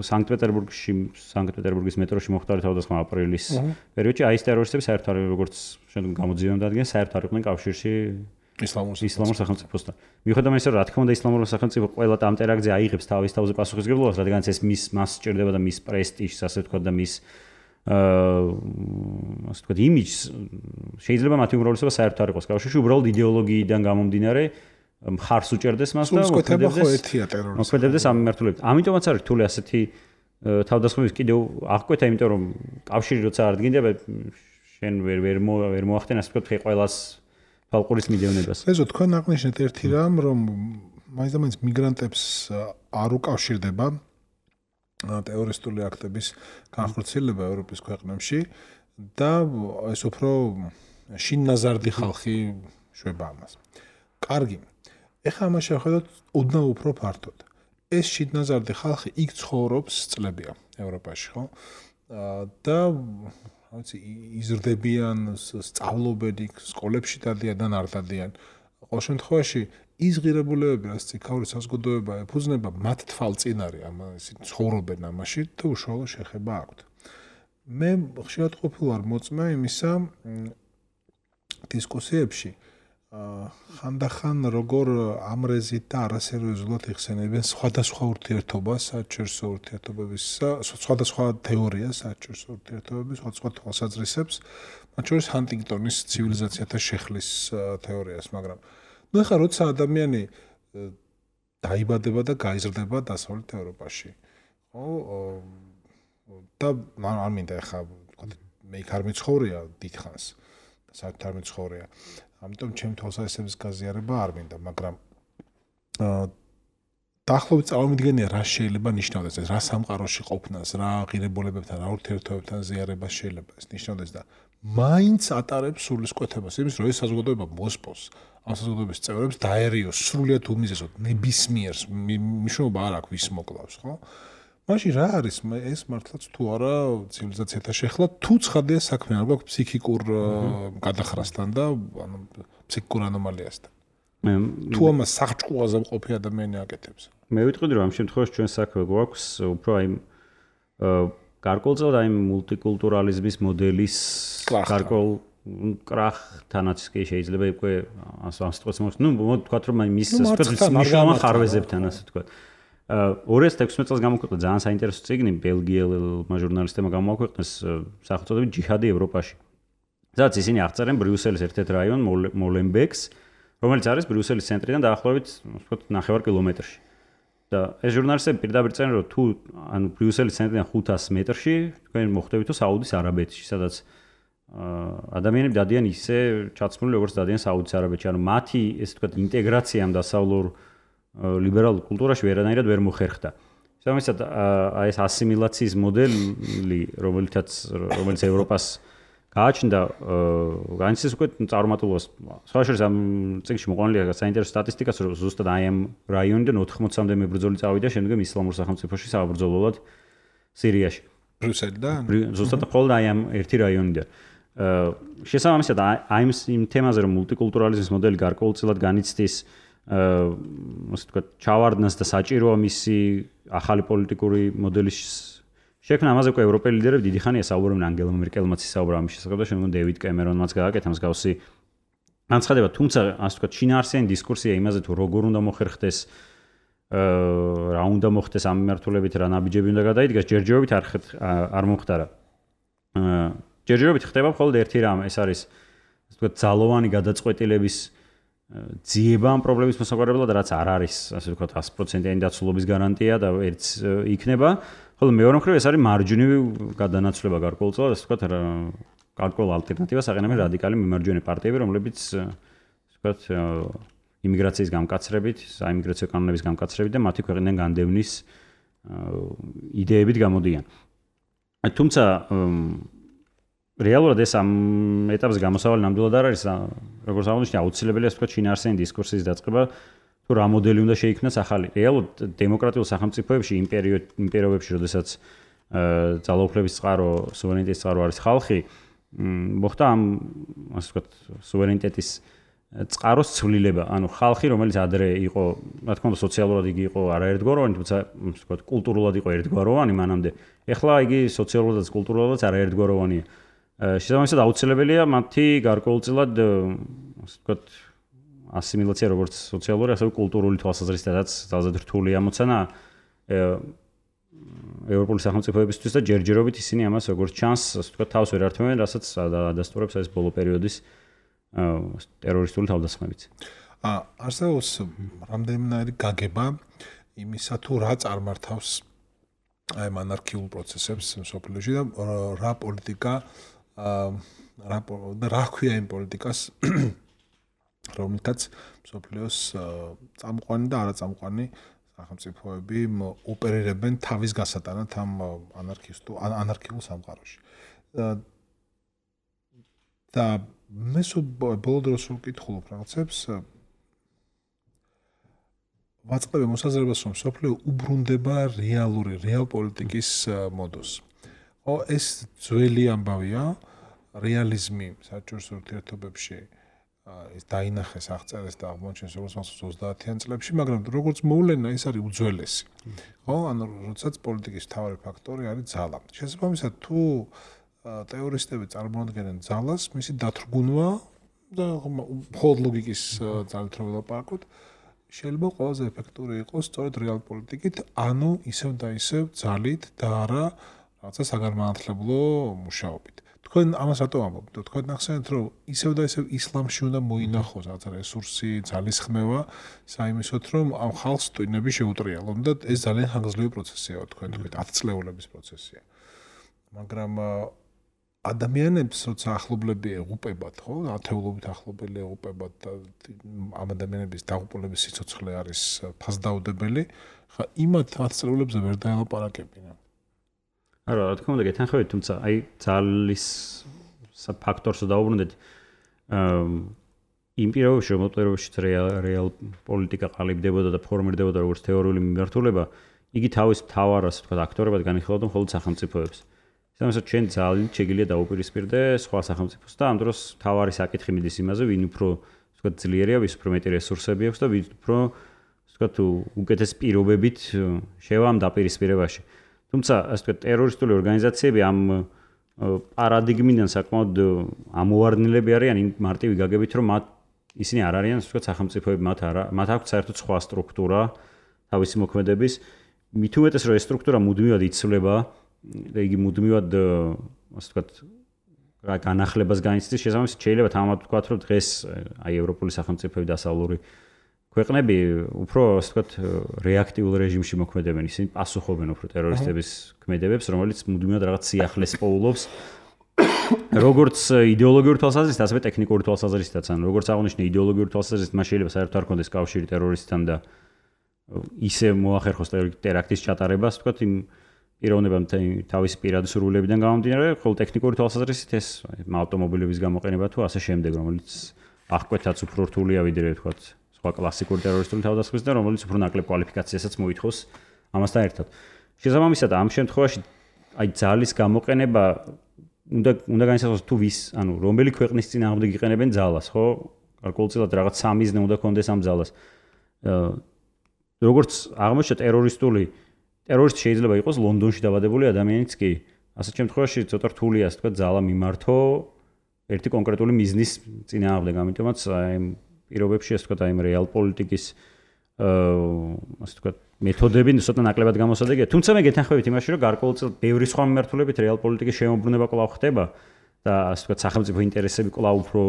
სანქტ-პეტერბურგში, სანქტ-პეტერბურგის მეტროში მოხდა თავდასხმა აპრილის პერიოდში, აი ეს ტერორისტები საერთოდ არ როგორც შემდგომ გამოძიებამ დადგენ, საერთოდ არ იყვნენ კავშირში ისლამურ სახელმწიფოსთან. მიუხედავად იმისა, რომ რა თქმა უნდა ისლამური სახელმწიფო ყველა ამ ტერაქტზე აიღებს თავის თავზე პასუხისმგებლობას, რადგან ეს მის მას სჭირდება და მის პრესტიჟს, ასე ვთქვათ და მის აა ასე ვთქვათ იმიჯს შეიძლება მათი უმრავლესობა საერთოდ არ იყოს კავშირში, უბრალოდ იდეოლოგიიდან გამომდინარე მხარს უჭერდეს მას და მოქმედებდეს ამ მიმართულებით. ამიტომაც არის რთული ასეთი თავდასხმების კიდევ აღკვეთა, იმიტომ რომ კავშირი როცა არ დგინდება, შენ ვერ ვერ ვერ მოახდენ ასე ვთქვათ ყველას ფალყურის მიდევნებას. ეზო თქვენ აღნიშნეთ ერთი რამ, რომ მაინც და მაინც მიგრანტებს არ უკავშირდება ტერორისტული აქტების განხორციელება ევროპის ქვეყნებში და ეს უფრო შინნაზარდი ხალხი შვება ამას. კარგი. ეხლა ამას შევხედოთ ოდნავ უფრო ფართოდ. ეს შინნაზარდი ხალხი იქ ცხოვრობს წლებია ევროპაში, ხო? და რაცი იზრდებიან, სწავლობენ იქ, სკოლებში დადიან და არ დადიან. ყოველ შემთხვევაში ის ღირებულებები, რაც ციხაური საზოგადოება ეფუძნება, მათ თვალწინ არის ამ ისინი ცხოვრობენ ამაში და უშუალო შეხება აქვთ. მე ხშირად ყოფილი ვარ მოწმე იმისა დისკუსიებში ხანდახან როგორ ამრეზით და არასერიოზულად იხსენებენ სხვადასხვა ურთიერთობას, საერთაშორისო ურთიერთობების, სხვადასხვა თეორიას, საერთაშორისო ურთიერთობების, სხვადასხვა თვალსაზრისებს, მათ შორის ჰანტინგტონის ცივილიზაციათა შეხლის თეორიას, მაგრამ ნუ ეხლა როცა ადამიანი დაიბადება და გაიზრდება დასავლეთ ევროპაში, ხო? და არ მინდა ეხლა მე იქ არ მიცხოვრია დიდხანს, საერთოდ არ მიცხოვრია. ამიტომ ჩემი თვალსაზრისების გაზიარება არ მინდა, მაგრამ დაახლოებით წარმოვიდგენია რა შეიძლება ნიშნავდეს ეს, რა სამყაროში ყოფნას, რა ღირებულებებთან, რა ურთიერთობებთან ზიარებას შეიძლება ეს ნიშნავდეს და მაინც ატარებს სულისკვეთებას იმის, რომ ეს საზოგადოება მოსპოს, ამ საზოგადოების წევრებს დაერიოს სრულიად უმიზესოდ ნებისმიერს მნიშვნელობა არ აქვს ვის მოკლავს, ხო? მაშინ რა არის ეს მართლაც თუ არა ცივილიზაციათა შეხლა, თუ ცხადია საქმე არ გვაქვს ფსიქიკურ გადახრასთან და ანუ ფსიქიკურ ანომალიასთან. თუ ამას საღჭყუაზე მყოფი ადამიანი აკეთებს. მე ვიტყოდი რომ ამ შემთხვევაში ჩვენ საქმე გვაქვს უფრო აი გარკვეულწილად აი მულტიკულტურალიზმის მოდელის გარკვეულ კრახთანაც კი შეიძლება უკვე ამ სიტყვას მოხდეს. ნუ ვთქვათ რომ მის მნიშვნელოვან ხარვეზებთან ასე ვთქვათ. ორი ათას ექვსმეტ წელს გამოქვეყნდა ძალიან საინტერესო წიგნი ბელგიელმა ჟურნალისტებმა გამოაქვეყნეს სახელწოდებით ჯიჰადი ევროპაში. სადაც ისინი აღწერენ ბრიუსელის ერთ-ერთ რაიონ მოლენბეკს, რომელიც არის ბრიუსელის ცენტრიდან დაახლოებით ვთქვათ ნახევარ კილომეტრში. და ეს ჟურნალისტები პირდაპირ წერენ რომ თუ ანუ ბრიუსელის ცენტრიდან ხუთას მეტრში თქვენ მოხვდებით თუ საუდის არაბეთში, სადაც ადამიანები დადიან ისე ჩაცმული როგორც დადიან საუდის არაბეთში. ანუ მათი ესე ვთქვათ ინტეგრაცია ამ დასავლურ ლიბერალურ კულტურაში ვერანაირად ვერ მოხერხდა. შესაბამისად აი ეს ასიმილაციის მოდელი, რომელიცაც რომელიც ევროპას გააჩნდა, განიცდის უკვე წარუმატებლობას. სხვა შორის ამ წიგნში მოყვანილია საინტერესო სტატისტიკაც, რომ ზუსტად აი ამ რაიონიდან ოთხმოცამდე მებრძოლი წავიდა შემდგომ ისლამურ სახელმწიფოში საბრძოლველად სირიაში. ბრიუსელიდან? ზუსტად მხოლოდ აი ამ ერთი რაიონიდან. შესაბამისად აი იმ თემაზე რომ მულტიკულტურალიზმის მოდელი გარკვეულწილად განიცდის ასე ვთქვათ, ჩავარდნას და საჭიროა მისი ახალი პოლიტიკური მოდელის შექმნა. ამაზე უკვე ევროპელი ლიდერები დიდი ხანია საუბრობენ, ანგელა მერკელმაც ისაუბრა ამის შესახებ და შემდგომ დევიდ კემერონმაც გააკეთა მსგავსი განცხადება. თუმცა ასე ვთქვათ, შინაარსიანი დისკურსია იმაზე თუ როგორ უნდა მოხერხდეს, რა უნდა მოხდეს ამ მიმართულებით, რა ნაბიჯები უნდა გადაიდგას, ჯერჯერობით არ არ მომხდარა. ჯერჯერობით ხდება მხოლოდ ერთი რამ, ეს არის ასე ვთქვათ, ძალოვანი გადაწყვეტილების ძიება ამ პრობლემის მოსაგვარებლად, რაც არ არის, ასე ვთქვათ, ათი პროცენტიანი დაცულობის გარანტია და ერთს იქნება. ხოლო მეორე მხრივ ეს არის მარჯვნივი გადანაცვლება გარკვეულწილად, ასე ვთქვათ, გარკვეულ ალტერნატივას აყენებენ რადიკალი მიმარჯვენე პარტიები, რომლებიც ასე ვთქვათ, იმიგრაციის გამკაცრებით, საიმიგრაციო კანონების გამკაცრებით და მათი ქვეყნიდან განდევნის იდეებით გამოდიან. თუმცა რეალურად ეს ამ ეტაპზე გამოსავალი ნამდვილად არ არის, როგორც აღნიშნე, აუცილებელია ასე ვთქვათ, შინაარსიანი დისკურსის დაწყება, თუ რა მოდელი უნდა შეიქმნას ახალი. რეალურად დემოკრატიულ სახელმწიფოებში, იმპერიობებში, როდესაც ძალაუფლების წყარო, სუვერენიტეტის წყარო არის ხალხი, მოხდა ამ ასე ვთქვათ, სუვერენიტეტის წყაროს ცვლილება. ანუ ხალხი, რომელიც ადრე იყო, რა თქმა უნდა, სოციალურად იგი იყო არაერთგვაროვანი, თუმცა ასე ვთქვათ, კულტურულად იყო ერთგვაროვანი მანამდე. ეხლა იგი სოციალურადაც კულტურულადაც არაერთგვაროვანია. შესაბამისად აუცილებელია მათი გარკვეულწილად ასე ვთქვათ ასიმილაცია როგორც სოციალური, ასევე კულტურული თვალსაზრისითაც ძალზედ რთული ამოცანა ევროპული სახელმწიფოებისთვის და ჯერჯერობით ისინი ამას როგორც ჩანს, ასე ვთქვათ, თავს ვერ ართმევენ, რასაც ადასტურებს ეს ბოლო პერიოდის ტერორისტული თავდასხმებიც. აა არსებობს რამდენიმე გაგება იმისა თუ რა წარმართავს აი ამ ანარქიულ პროცესებს მსოფლიოში და რა პოლიტიკა რა და რა ქვია იმ პოლიტიკას რომელთაც მსოფლიოს წამყვანი და არაწამყვანი სახელმწიფოები ოპერირებენ თავის გასატანად ამ ანარქისტულ ანარქიულ სამყაროში. და მე ბოლო დროს ვკითხულობ რაღაცებს ვაწყდები მოსაზრებას, რომ მსოფლიო უბრუნდება რეალური რეალ პოლიტიკის მოდოს. ო ეს ძველი ამბავია, რეალიზმი საჭიროების ურთიერთობებში ეს დაინახეს, აღწერეს და აღმოჩნდეს როგორც მახსოვს ოცდაათიან წლებში, მაგრამ როგორც მოვლენა ეს არის უძველესი. ხო, ანუ როდესაც პოლიტიკის მთავარი ფაქტორი არის ძალა. შესაბამისად, თუ თეორისტები წარმოადგენენ ძალას, მისი დათრგუნვა და მხოლოდ ლოგიკის ძალით რომ ვილაპარაკოთ, შეიძლება ყველაზე ეფექტური იყოს სწორედ რეალ პოლიტიკით, ანუ ისევ და ისევ ძალით და არა რაღაცა საგანმანათლებლო მუშაობით. თქვენ ამას რატო ამბობთ? თქვენ ახსენეთ, რომ ისევ და ისევ ისლამში უნდა მოინახოს რაღაცა რესურსი, ძალის ხმევა, საიმისოთ, რომ ამ ხალხს ტვინები შეუტრიალონ და ეს ძალიან ხანგრძლივი პროცესია, თქვენ თქვით, ათწლეულების პროცესია. მაგრამ ადამიანებს როცა ახლობლები ეღუპებათ, ხო, ათეულობით ახლობელი ეღუპებათ და ამ ადამიანების დაღუპულების სიცოცხლე არის ფასდაუდებელი, ხა იმათ ათწლეულებზე ვერ დაელაპარაკებინა. არა, რა თქმა უნდა, გეთანხმებით, თუმცა აი ძალის ფაქტორს დავუბრუნდეთ. აა იმ პირობებში, რომელშიც რეალ პოლიტიკა ყალიბდებოდა და ფორმირდებოდა როგორც თეორიული მიმართულება, იგი თავის მთავარას, თქვა, აქტორებად განიხილავდა მხოლოდ სახელმწიფოებს. ამასაც ჩვენ ძალიან შეგიძლია დაუპირისპირდე სხვა სახელმწიფოს და ამ დროს თავარი საკითხი მიდის იმაზე, ვინ უფრო თქვა ძლიერია, ვის უფრო მეტი რესურსები აქვს და ვინ უფრო თქვა უკეთეს პირობებით შევა ამ დაპირისპირებაში. თუმცა ასე თქვა ტერორისტული ორგანიზაციები ამ პარადიგმიდან საკმაოდ ამოვარდნილები არიან იმ მარტივი გაგებით, რომ მათ ისინი არ არიან ასე თქვა სახელმწიფოები, მათ არა, მათ აქვს საერთოდ სხვა სტრუქტურა თავისი მოქმედების. მით უმეტეს რომ ეს სტრუქტურა მუდმივად იცვლება და იგი მუდმივად ასე ვთქვათ განახლებას განიცდის, შესაბამისად შეიძლება თამამად ვთქვათ, რომ დღეს აი ევროპული სახელმწიფოები დასავლური ქვეყნები უფრო ასე ვთქვათ რეაქტიულ რეჟიმში მოქმედებენ, ისინი პასუხობენ უფრო ტერორისტების ქმედებებს, რომელიც მუდმივად რაღაც სიახლეს პოულობს. როგორც იდეოლოგიური თვალსაზრისით, ასევე ტექნიკური თვალსაზრისითაც, ან როგორც აღნიშნე იდეოლოგიური თვალსაზრისით, მას შეიძლება საერთოდ არ ქონდეს კავშირი ტერორისტთან და ისე მოახერხოს ტერაქტის ჩატარებას, ვთქვათ, იმ პიროვნებამ თავისი პირადი სურვილებიდან გამომდინარე, ხოლო ტექნიკური თვალსაზრისით ეს ავტომობილების გამოყენება თუ ასე შემდეგ, რომელიც აღკვეთაც უფრო რთულია ვიდრე ვთქვათ სხვა კლასიკური ტერორისტული თავდასხმის და რომელიც უფრო ნაკლებ კვალიფიკაციასაც მოითხოვს ამასთან ერთად. შესაბამისად, ამ შემთხვევაში აი ძალის გამოყენება უნდა უნდა განისაზღვროს თუ ვის, ანუ რომელი ქვეყნის წინააღმდეგ იყენებენ ძალას, ხო? გარკვეულწილად რაღაც სამიზნე უნდა კონდეს ამ ძალას. როგორც აღმოჩნდა ტერორისტული ტერორისტი შეიძლება იყოს ლონდონში დაბადებული ადამიანიც კი. ასეთ შემთხვევაში ცოტა რთულია, ასე ვთქვათ, ძალა მიმართო ერთი კონკრეტული მიზნის წინააღმდეგ, ამიტომაც აი პირობებში, ასე ვთქვათ, აი რეალ პოლიტიკის აა ასე ვთქვათ, მეთოდები ცოტა ნაკლებად გამოსადეგია. თუმცა მე გეთანხმებით იმაში, რომ გარკვეულწილად ბევრი სხვა მიმართულებით რეალ პოლიტიკის შემოbrunება კვლავ ხდება და ასე ვთქვათ, სახელმწიფო ინტერესები კვლავ უფრო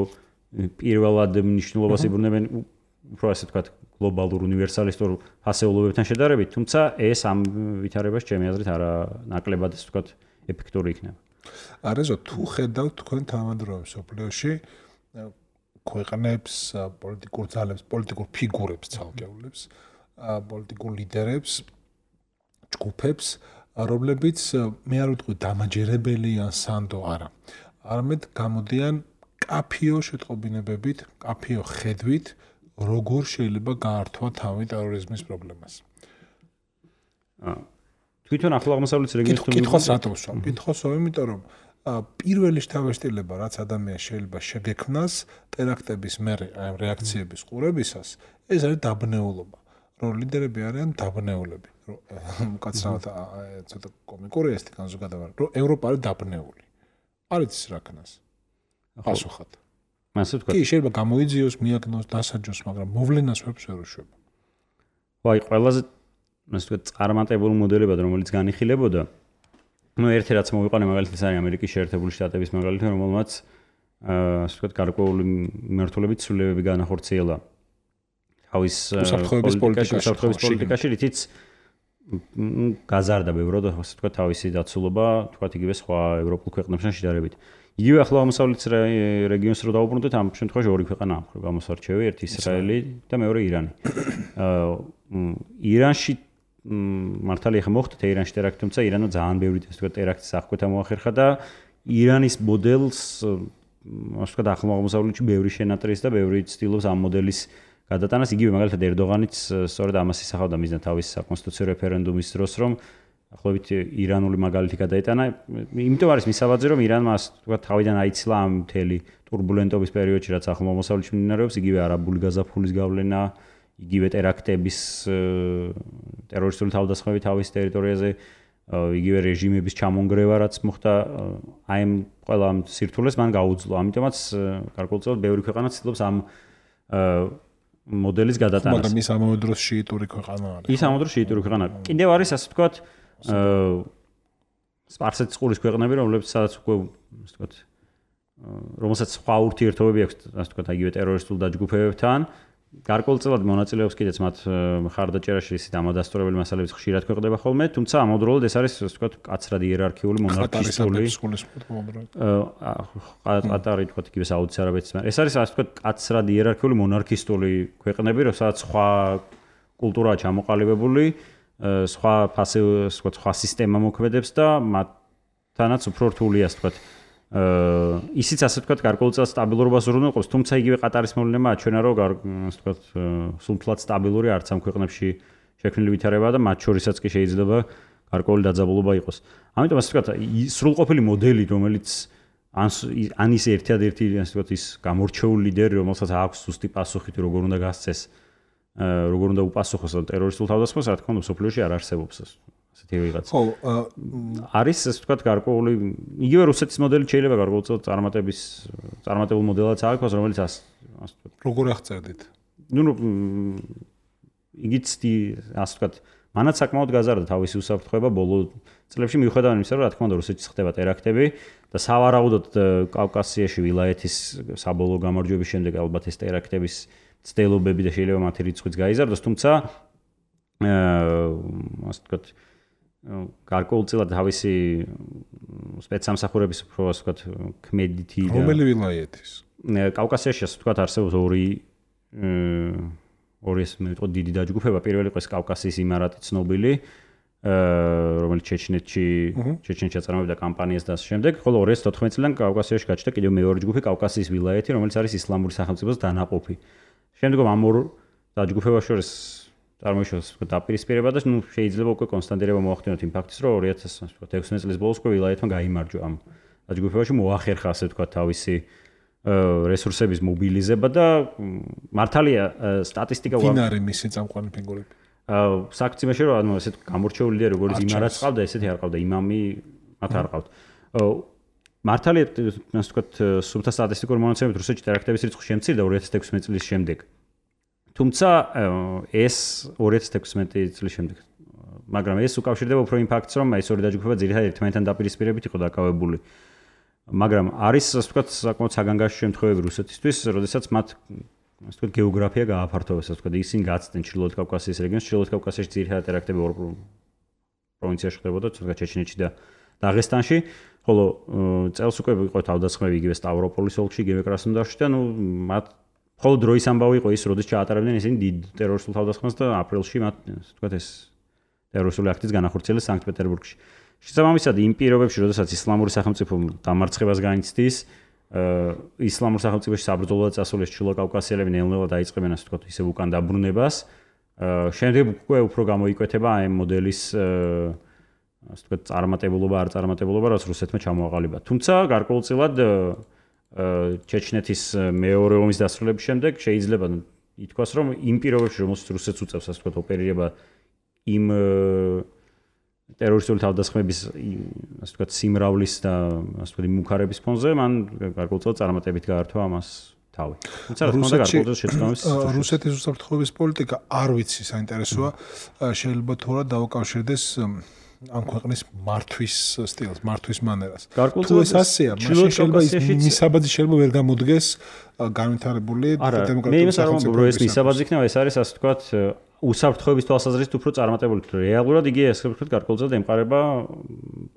პირველად მნიშვნელობას იბრუნებენ, უფრო ასე ვთქვათ, გლობალურ უნივერსალისტურ ფასეულობებთან შედარებით, თუმცა ეს ამ ვითარებას ჩემი აზრით არა ნაკლებად ასე ვთქვათ ეფექტური იქნება. არეზო თუ ხედავთ თქვენ თანამედროვე მსოფლიოში ქვეყნებს, პოლიტიკურ ძალებს, პოლიტიკურ ფიგურებს ცალკეულებს, პოლიტიკურ ლიდერებს, ჯგუფებს, რომლებიც მე არ ვიტყვი დამაჯერებელი ან სანდო არა. არამედ გამოდიან კაფიო შეტყობინებებით, კაფიო ხედვით როგორ შეიძლება გაართვა თავი ტერორიზმის პრობლემას. თვითონ ახლო აღმოსავლეთის რეგიონის კითხვას რატომ ვსვამ? კითხვას ვსვამ, იმიტომ რომ პირველი შთაბეჭდილება, რაც ადამიანს შეიძლება შეგექმნას ტერაქტების მერე აი რეაქციების ყურებისას, ეს არის დაბნეულობა. რომ ლიდერები არიან დაბნეულები. რომ კაცრავად ცოტა კომიკურია ეს განზოგადება, რომ ევროპა არის დაბნეული. არ იცის რა ქნას. პასუხად. მასე ვთქვათ. კი, შეიძლება გამოიძიოს, მიაგნოს, დასაჯოს, მაგრამ მოვლენას ვებს ვერ უშვება. ვაი, ყველაზე ასე ვთქვათ, წარმატებული მოდელებად, რომელიც განიხილებოდა, ну, ერთი რაც მოვიყვანე მაგალითად არის ამერიკის შეერთებული შტატების მაგალითი, რომელმაც ასე ვთქვათ, გარკვეული მიმართულებით ცვლილებები განახორციელა თავის უსაფრთხოების პოლიტიკაში, რითიც გაზარდა ბევრად, ასე ვთქვათ, თავისი დაცულობა, თქვათ იგივე სხვა ევროპულ ქვეყნებთან შედარებით. იგივე ახლო აღმოსავლეთის რეგიონს რო დავუბრუნდეთ, ამ შემთხვევაში ორი ქვეყანა აქვს გამოსარჩევი, ერთი ისრაელი და მეორე ირანი. ირანში მართალია ხა მოხდა თეირანში ტერაქტი, თუმცა ირანმა ძალიან ბევრი ასე ვთქვათ ტერაქტის აღკვეთა მოახერხა და ირანის მოდელს ასე ვთქვათ ახლო აღმოსავლეთში ბევრი შენატრის და ბევრი ცდილობს ამ მოდელის გადატანას. იგივე მაგალითად ერდოღანიც სწორედ ამას ისახავდა მიზნად თავის საკონსტიტუციო რეფერენდუმის დროს, რომ ახლობით ირანული მაგალითი გადაეტანა. იმიტომ არის მისაბაძე, რომ ირანმა ასე ვთქვათ თავიდან აიცილა ამ მთელი турბულენტობის პერიოდში, რაც ახლო აღმოსავლეთში მიმდინარეობს, იგივე არაბული გაზაფხულის გავლენა, იგივე ტერაქტების ტერორისტული თავდასხმები თავის ტერიტორიაზე, იგივე რეჟიმების ჩამონგრევა, რაც მოხდა აი ამ ყველა ამ სირთულეს მან გაუძლო. ამიტომაც გარკვეულწილად ბევრი ქვეყანა ცდილობს ამ მოდელის გადატანას. მაგრამ ის ამავე დროს შიიტური ქვეყანა არის. ის ამავე დროს შიიტური ქვეყანა. კიდევ არის ასე ვთქვათ სპარსეთის ყურის ქვეყნები, რომლებიც სადაც უკვე ასე ვთქვათ რომელსაც სხვა ურთიერთობები აქვს, ასე ვთქვათ, იგივე ტერორისტულ დაჯგუფებებთან გარკვეულწილად მონაწილეობს კიდეც მათ ხარდაჭერაში ისეთ ამადასტურებელი მასალებიც ხშირად ქვეყნდება ხოლმე, თუმცა ამავდროულად ეს არის, ასე ვთქვათ, კაცრად იერარქიული მონარქისტული. ყატარი თქვათ იგივე საუდის არაბეთის, მაგრამ ეს არის, ასე ვთქვათ, კაცრად იერარქიული მონარქისტული ქვეყნები, რომელსაც სხვა კულტურაა ჩამოყალიბებული, სხვა ფასი, ვთქვათ, სხვა სისტემა მოქმედებს და მათთანაც უფრო რთულია, ასე ვთქვათ, აა ისიც ასე ვთქვათ გარკვეულწილად სტაბილურობას უზრუნველყოფს, თუმცა იგივე ყატარის მოვლენა აჩვენა, რომ ასე ვთქვათ სულთლად სტაბილური არც ამ ქვეყნებში შექმნილი ვითარებაა და მათ შორისაც კი შეიძლება გარკვეული დაძაბულობა იყოს. ამიტომ ასე ვთქვათ სრულყოფილი მოდელი, რომელიც ან ის ერთადერთი ასე ვთქვათ ის გამორჩეული ლიდერი, რომელსაც აქვს ზუსტი პასუხი თუ როგორ უნდა გასცეს, როგორ უნდა უპასუხოს ტერორისტულ თავდასხმას, რა თქმა უნდა, სოფლიოში არ არსებობს ეს. ასეთი ვიღაც. ხო, არის ასე ვთქვათ გარკვეული იგივე რუსეთის მოდელი შეიძლება გარკვეულწილად წარმატების წარმატებულ მოდელად ააქვას, რომელიც ასე ვთქვათ. როგორ აღწერდით? ნუ იგიც ასე ვთქვათ, მანაც საკმაოდ გაზარდა თავისი უსაფრთხოება ბოლო წლებში მიუხედავად იმისა, რომ რა თქმა უნდა რუსეთში ხდება ტერაქტები და სავარაუდოდ კავკასიაში ვილაიეთის საბოლოო გამარჯვების შემდეგ ალბათ ეს ტერაქტების ცდილობები და შეიძლება მათი რიცხვიც გაიზარდოს, თუმცა ასე ვთქვათ გარკვეულწილად თავისი სპეცსამსახურების უფრო ასე ვთქვათ ქმედითი და რომელი ვილაიეთის? კავკასიაში ასე ვთქვათ არსებობს ორი ორი ესე მეტყო დიდი დაჯგუფება, პირველი იყო ეს კავკასიის იმარატი ცნობილი, რომელიც ჩეჩნეთში ჩეჩნეთში აწარმოებდა კამპანიას და ასე შემდეგ, ხოლო ორი ათას თოთხმეტი წლიდან კავკასიაში გაჩნდა კიდევ მეორე ჯგუფი კავკასიის ვილაიეთი, რომელიც არის ისლამური სახელმწიფოს დანაყოფი. შემდგომ ამ ორ დაჯგუფებას შორის წარმოიშვა დაპირისპირება და ნუ შეიძლება უკვე კონსტანტირება მოახდინოთ იმ ფაქტის, რომ ორი ათას ექვსმეტი წლის ბოლოს უკვე ვილაიეთმა გაიმარჯვა ამ დაჯგუფებაში, მოახერხა ასე ვთქვათ თავისი რესურსების მობილიზება და მართალია სტატისტიკა ვინ არის მისი წამყვანი ფიგურები? საქციებში რომ ანუ ესეთ გამორჩეული ლიდერი როგორც იმარაც ყავდა, ესეთი არ ყავდა, იმამი მათ არ ყავთ. მართალია ასე ვთქვათ სუფთა სტატისტიკური მონაცემებით რუსეთში ტერაქტების რიცხვი შემცირდა ორი ათას ექვსმეტი წლის შემდეგ. თუმცა ეს ორი ათას ექვსმეტი წლის შემდეგ, მაგრამ ეს უკავშირდება უფრო იმ ფაქტს, რომ ეს ორი დაჯგუფება ძირითადად ერთმანეთთან დაპირისპირებით იყო დაკავებული. მაგრამ არის ასე ვთქვათ საკმაოდ საგანგაშო შემთხვევები რუსეთისთვის, როდესაც მათ ასე ვთქვათ გეოგრაფია გააფართოვეს, ასე ვთქვათ, ისინი გაცდნენ ჩრდილოეთ კავკასიის რეგიონს, ჩრდილოეთ კავკასიაში ძირითადად ტერაქტები ორ პროვინციაში ხდებოდა, თუნდაც ჩეჩნეთში და დაღესტანში, ხოლო წელს უკვე იყო თავდასხმები იგივე სტავროპოლის ოლქში, იგივე კრასნოდარში და ნუ მათ ხოლო დროის ამბავი იყო ის, როდის ჩაატარებდნენ ისინი დიდ ტერორისტულ თავდასხმას და აპრილში მათ ასე ვთქვათ ეს ტერორისტული აქტიც განახორციელეს სანქტ-პეტერბურგში. შესაბამისად, იმ პირობებში, როდესაც ისლამური სახელმწიფო დამარცხებას განიცდის, ისლამურ სახელმწიფოში საბრძოლოდ წასულეს ჩრდილო კავკასიელები ნელ-ნელა დაიწყებენ ასე ვთქვათ ისევ უკან დაბრუნებას. შემდეგ უკვე უფრო გამოიკვეთება ამ მოდელის ასე ვთქვათ წარმატებულობა, არ წარმატებულობა, რაც რუსეთმა ჩამოაყალიბა. თუმცა გარკვეულწილად ჩეჩნეთის მეორე ომის დასრულების შემდეგ შეიძლება ითქვას, რომ იმ პირობებში, რომელსაც რუსეთს უწევს ასე ვთქვათ ოპერირება იმ ტერორისტული თავდასხმების ასე ვთქვათ სიმრავლის და ასე ვთქვათ მუქარების ფონზე, მან გარკვეულწილად წარმატებით გაართვა ამას თავი. თუმცა რა თქმა უნდა გარკვეულწილად შეცდომის რუსეთის უსაფრთხოების პოლიტიკა არ ვიცი საინტერესოა, შეიძლება თუ რა დაუკავშირდეს ამ ქვეყნის მართვის სტილს, მართვის მანერას. თუ ეს ასეა, მაშინ შეიძლება ის მისაბაძი შეიძლება ვერ გამოდგეს განვითარებული დემოკრატიული სახელმწიფო. რო ეს მისაბაძი იქნება, ეს არის ასე ვთქვათ უსაფრთხოების თვალსაზრისით უფრო წარმატებული. რეალურად იგი ასე ვთქვათ გარკვეულწილად ემყარება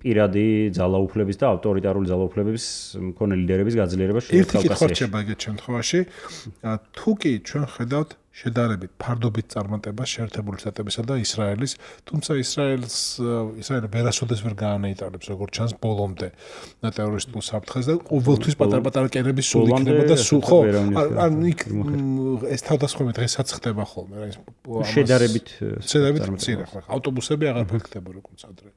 პირადი ძალაუფლების და ავტორიტარული ძალაუფლების მქონე ლიდერების გაძლიერებას შუა კავკასიაში. ერთი კითხვა რჩება ეგეთ შემთხვევაში, თუ კი ჩვენ ხედავთ შედარებით ფარდობით წარმატებას შეერთებული შტატებისა და ისრაელის, თუმცა ისრაელს ისრაელი ვერასოდეს ვერ გაანეიტარებს როგორც ჩანს ბოლომდე ტერორისტულ საფრთხეს და ყოველთვის პატარ-პატარა კერების სულ იქნება და სულ ხო ან იქ ეს თავდასხმები დღესაც ხდება ხოლმე რა ის შედარებით შედარებით მცირე ხო ავტობუსები აღარ ფიქრდება როგორც ადრე.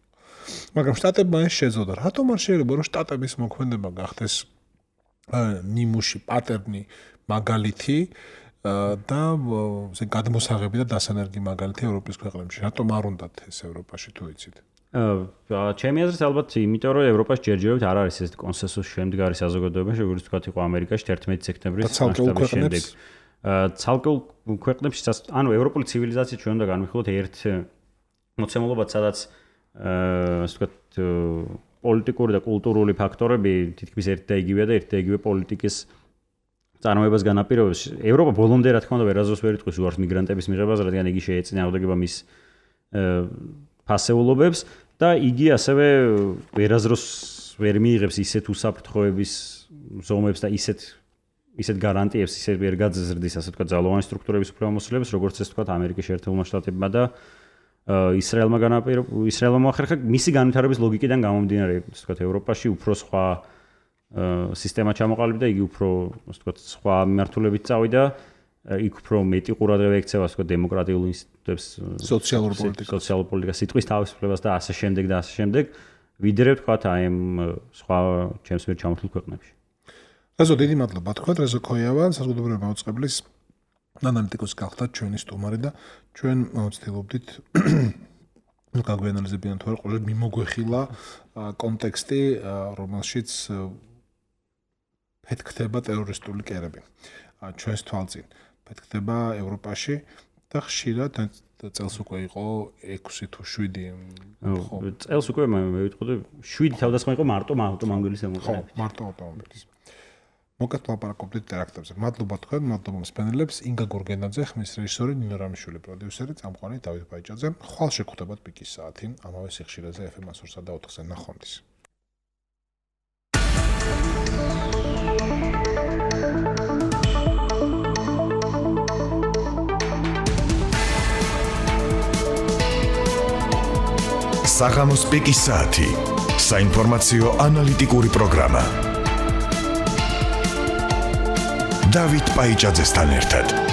მაგრამ შტატებმა ეს შეძოდა. რატომ არ შეიძლება რომ შტატების მოქმედება გახდეს ნიმუში პატერნი მაგალითი და ზე გადმოსაღები და დასანერგი მაგალითი ევროპის ქვეყნებში. რატომ არ უნდათ ეს ევროპაში თუ იცით? აა ჩემი აზრით ალბათ იმიტომ რომ ევროპაში ჯერჯერობით არ არის ეს კონსენსუსი შემდგარი საზოგადოებაში, როგორც თქვათ იყო ამერიკაში თერთმეტი სექტემბრის მასშტაბის შემდეგ. აა ცალკეულ ქვეყნებში ანუ ევროპული ცივილიზაცია ჩვენ უნდა განვიხილოთ ერთ მოცემულობად, სადაც აა ასე ვთქვათ პოლიტიკური და კულტურული ფაქტორები თითქმის ერთ და იგივეა და ერთ და იგივე პოლიტიკის წარმოებას განაპირობებს. ევროპა ბოლომდე რა თქმა უნდა ვერაზროს ვერ იტყვის უარს მიგრანტების მიღებას, რადგან იგი შეეწინააღმდეგება მის ფასეულობებს და იგი ასევე ვერაზროს ვერ მიიღებს ისეთ უსაფრთხოების ზომებს და ისეთ ისეთ გარანტიებს, ისეთ ვერ გაძზრდის, ასე ვთქვათ, ძალოვანი სტრუქტურების უფლებამოსილებს, როგორც ეს ვთქვათ, ამერიკის შეერთებულმა შტატებმა და ისრაელმა განაპირობა, ისრაელმა მოახერხა მისი განვითარების ლოგიკიდან გამომდინარე, ასე ვთქვათ, ევროპაში უფრო სხვა სისტემა ჩამოყალიბდა, იგი უფრო, ასე ვთქვათ, სხვა მიმართულებით წავიდა, იქ უფრო მეტი ყურადღება ექცევა, ასე ვთქვათ, დემოკრატიულ ინსტიტუტებს, სოციალურ პოლიტიკას, სოციალურ პოლიტიკას, სიტყვის თავისუფლებას და ასე შემდეგ და ასე შემდეგ, ვიდრე ვთქვათ, აი ამ სხვა ჩემს მიერ ჩამოთვლილ ქვეყნებში. რეზო დიდი მადლობა თქვა რეზო ქოიავა საზოგადოებრივი მაუწყებლის ანალიტიკოსი გახდათ ჩვენი სტუმარი და ჩვენ ვცდილობდით გაგვიანალიზებინათ თუ არა ყოველ მიმოგვეხილა კონტექსტი რომელშიც ფეთქდება ტერორისტული კერები ჩვენს თვალწინ ფეთქდება ევროპაში და ხშირად წელს უკვე იყო ექვსი თუ შვიდი ხო წელს უკვე მე ვიტყოდი შვიდი თავდასხმა იყო მარტო ავტომობილის ემოყრებით ხო მარტო ავტომობილის მოკეთ ლაპარაკობდით ტერაქტებზე. მადლობა თქვენ, მადლობა მსმენელებს. ინგა გურგენაძე, ხმის რეჟისორი, ნინო რამიშვილი პროდიუსერი, წამყვანი დავით ბაიჭაძე. ხვალ შეგხვდებათ პიკის საათი, ამავე სიხშირეზე ეფ ემ ასურსა და ოთხზე ნახვამდის. საღამოს პიკის საათი. საინფორმაციო ანალიტიკური პროგრამა. დავით ბაიჭაძესთან ერთად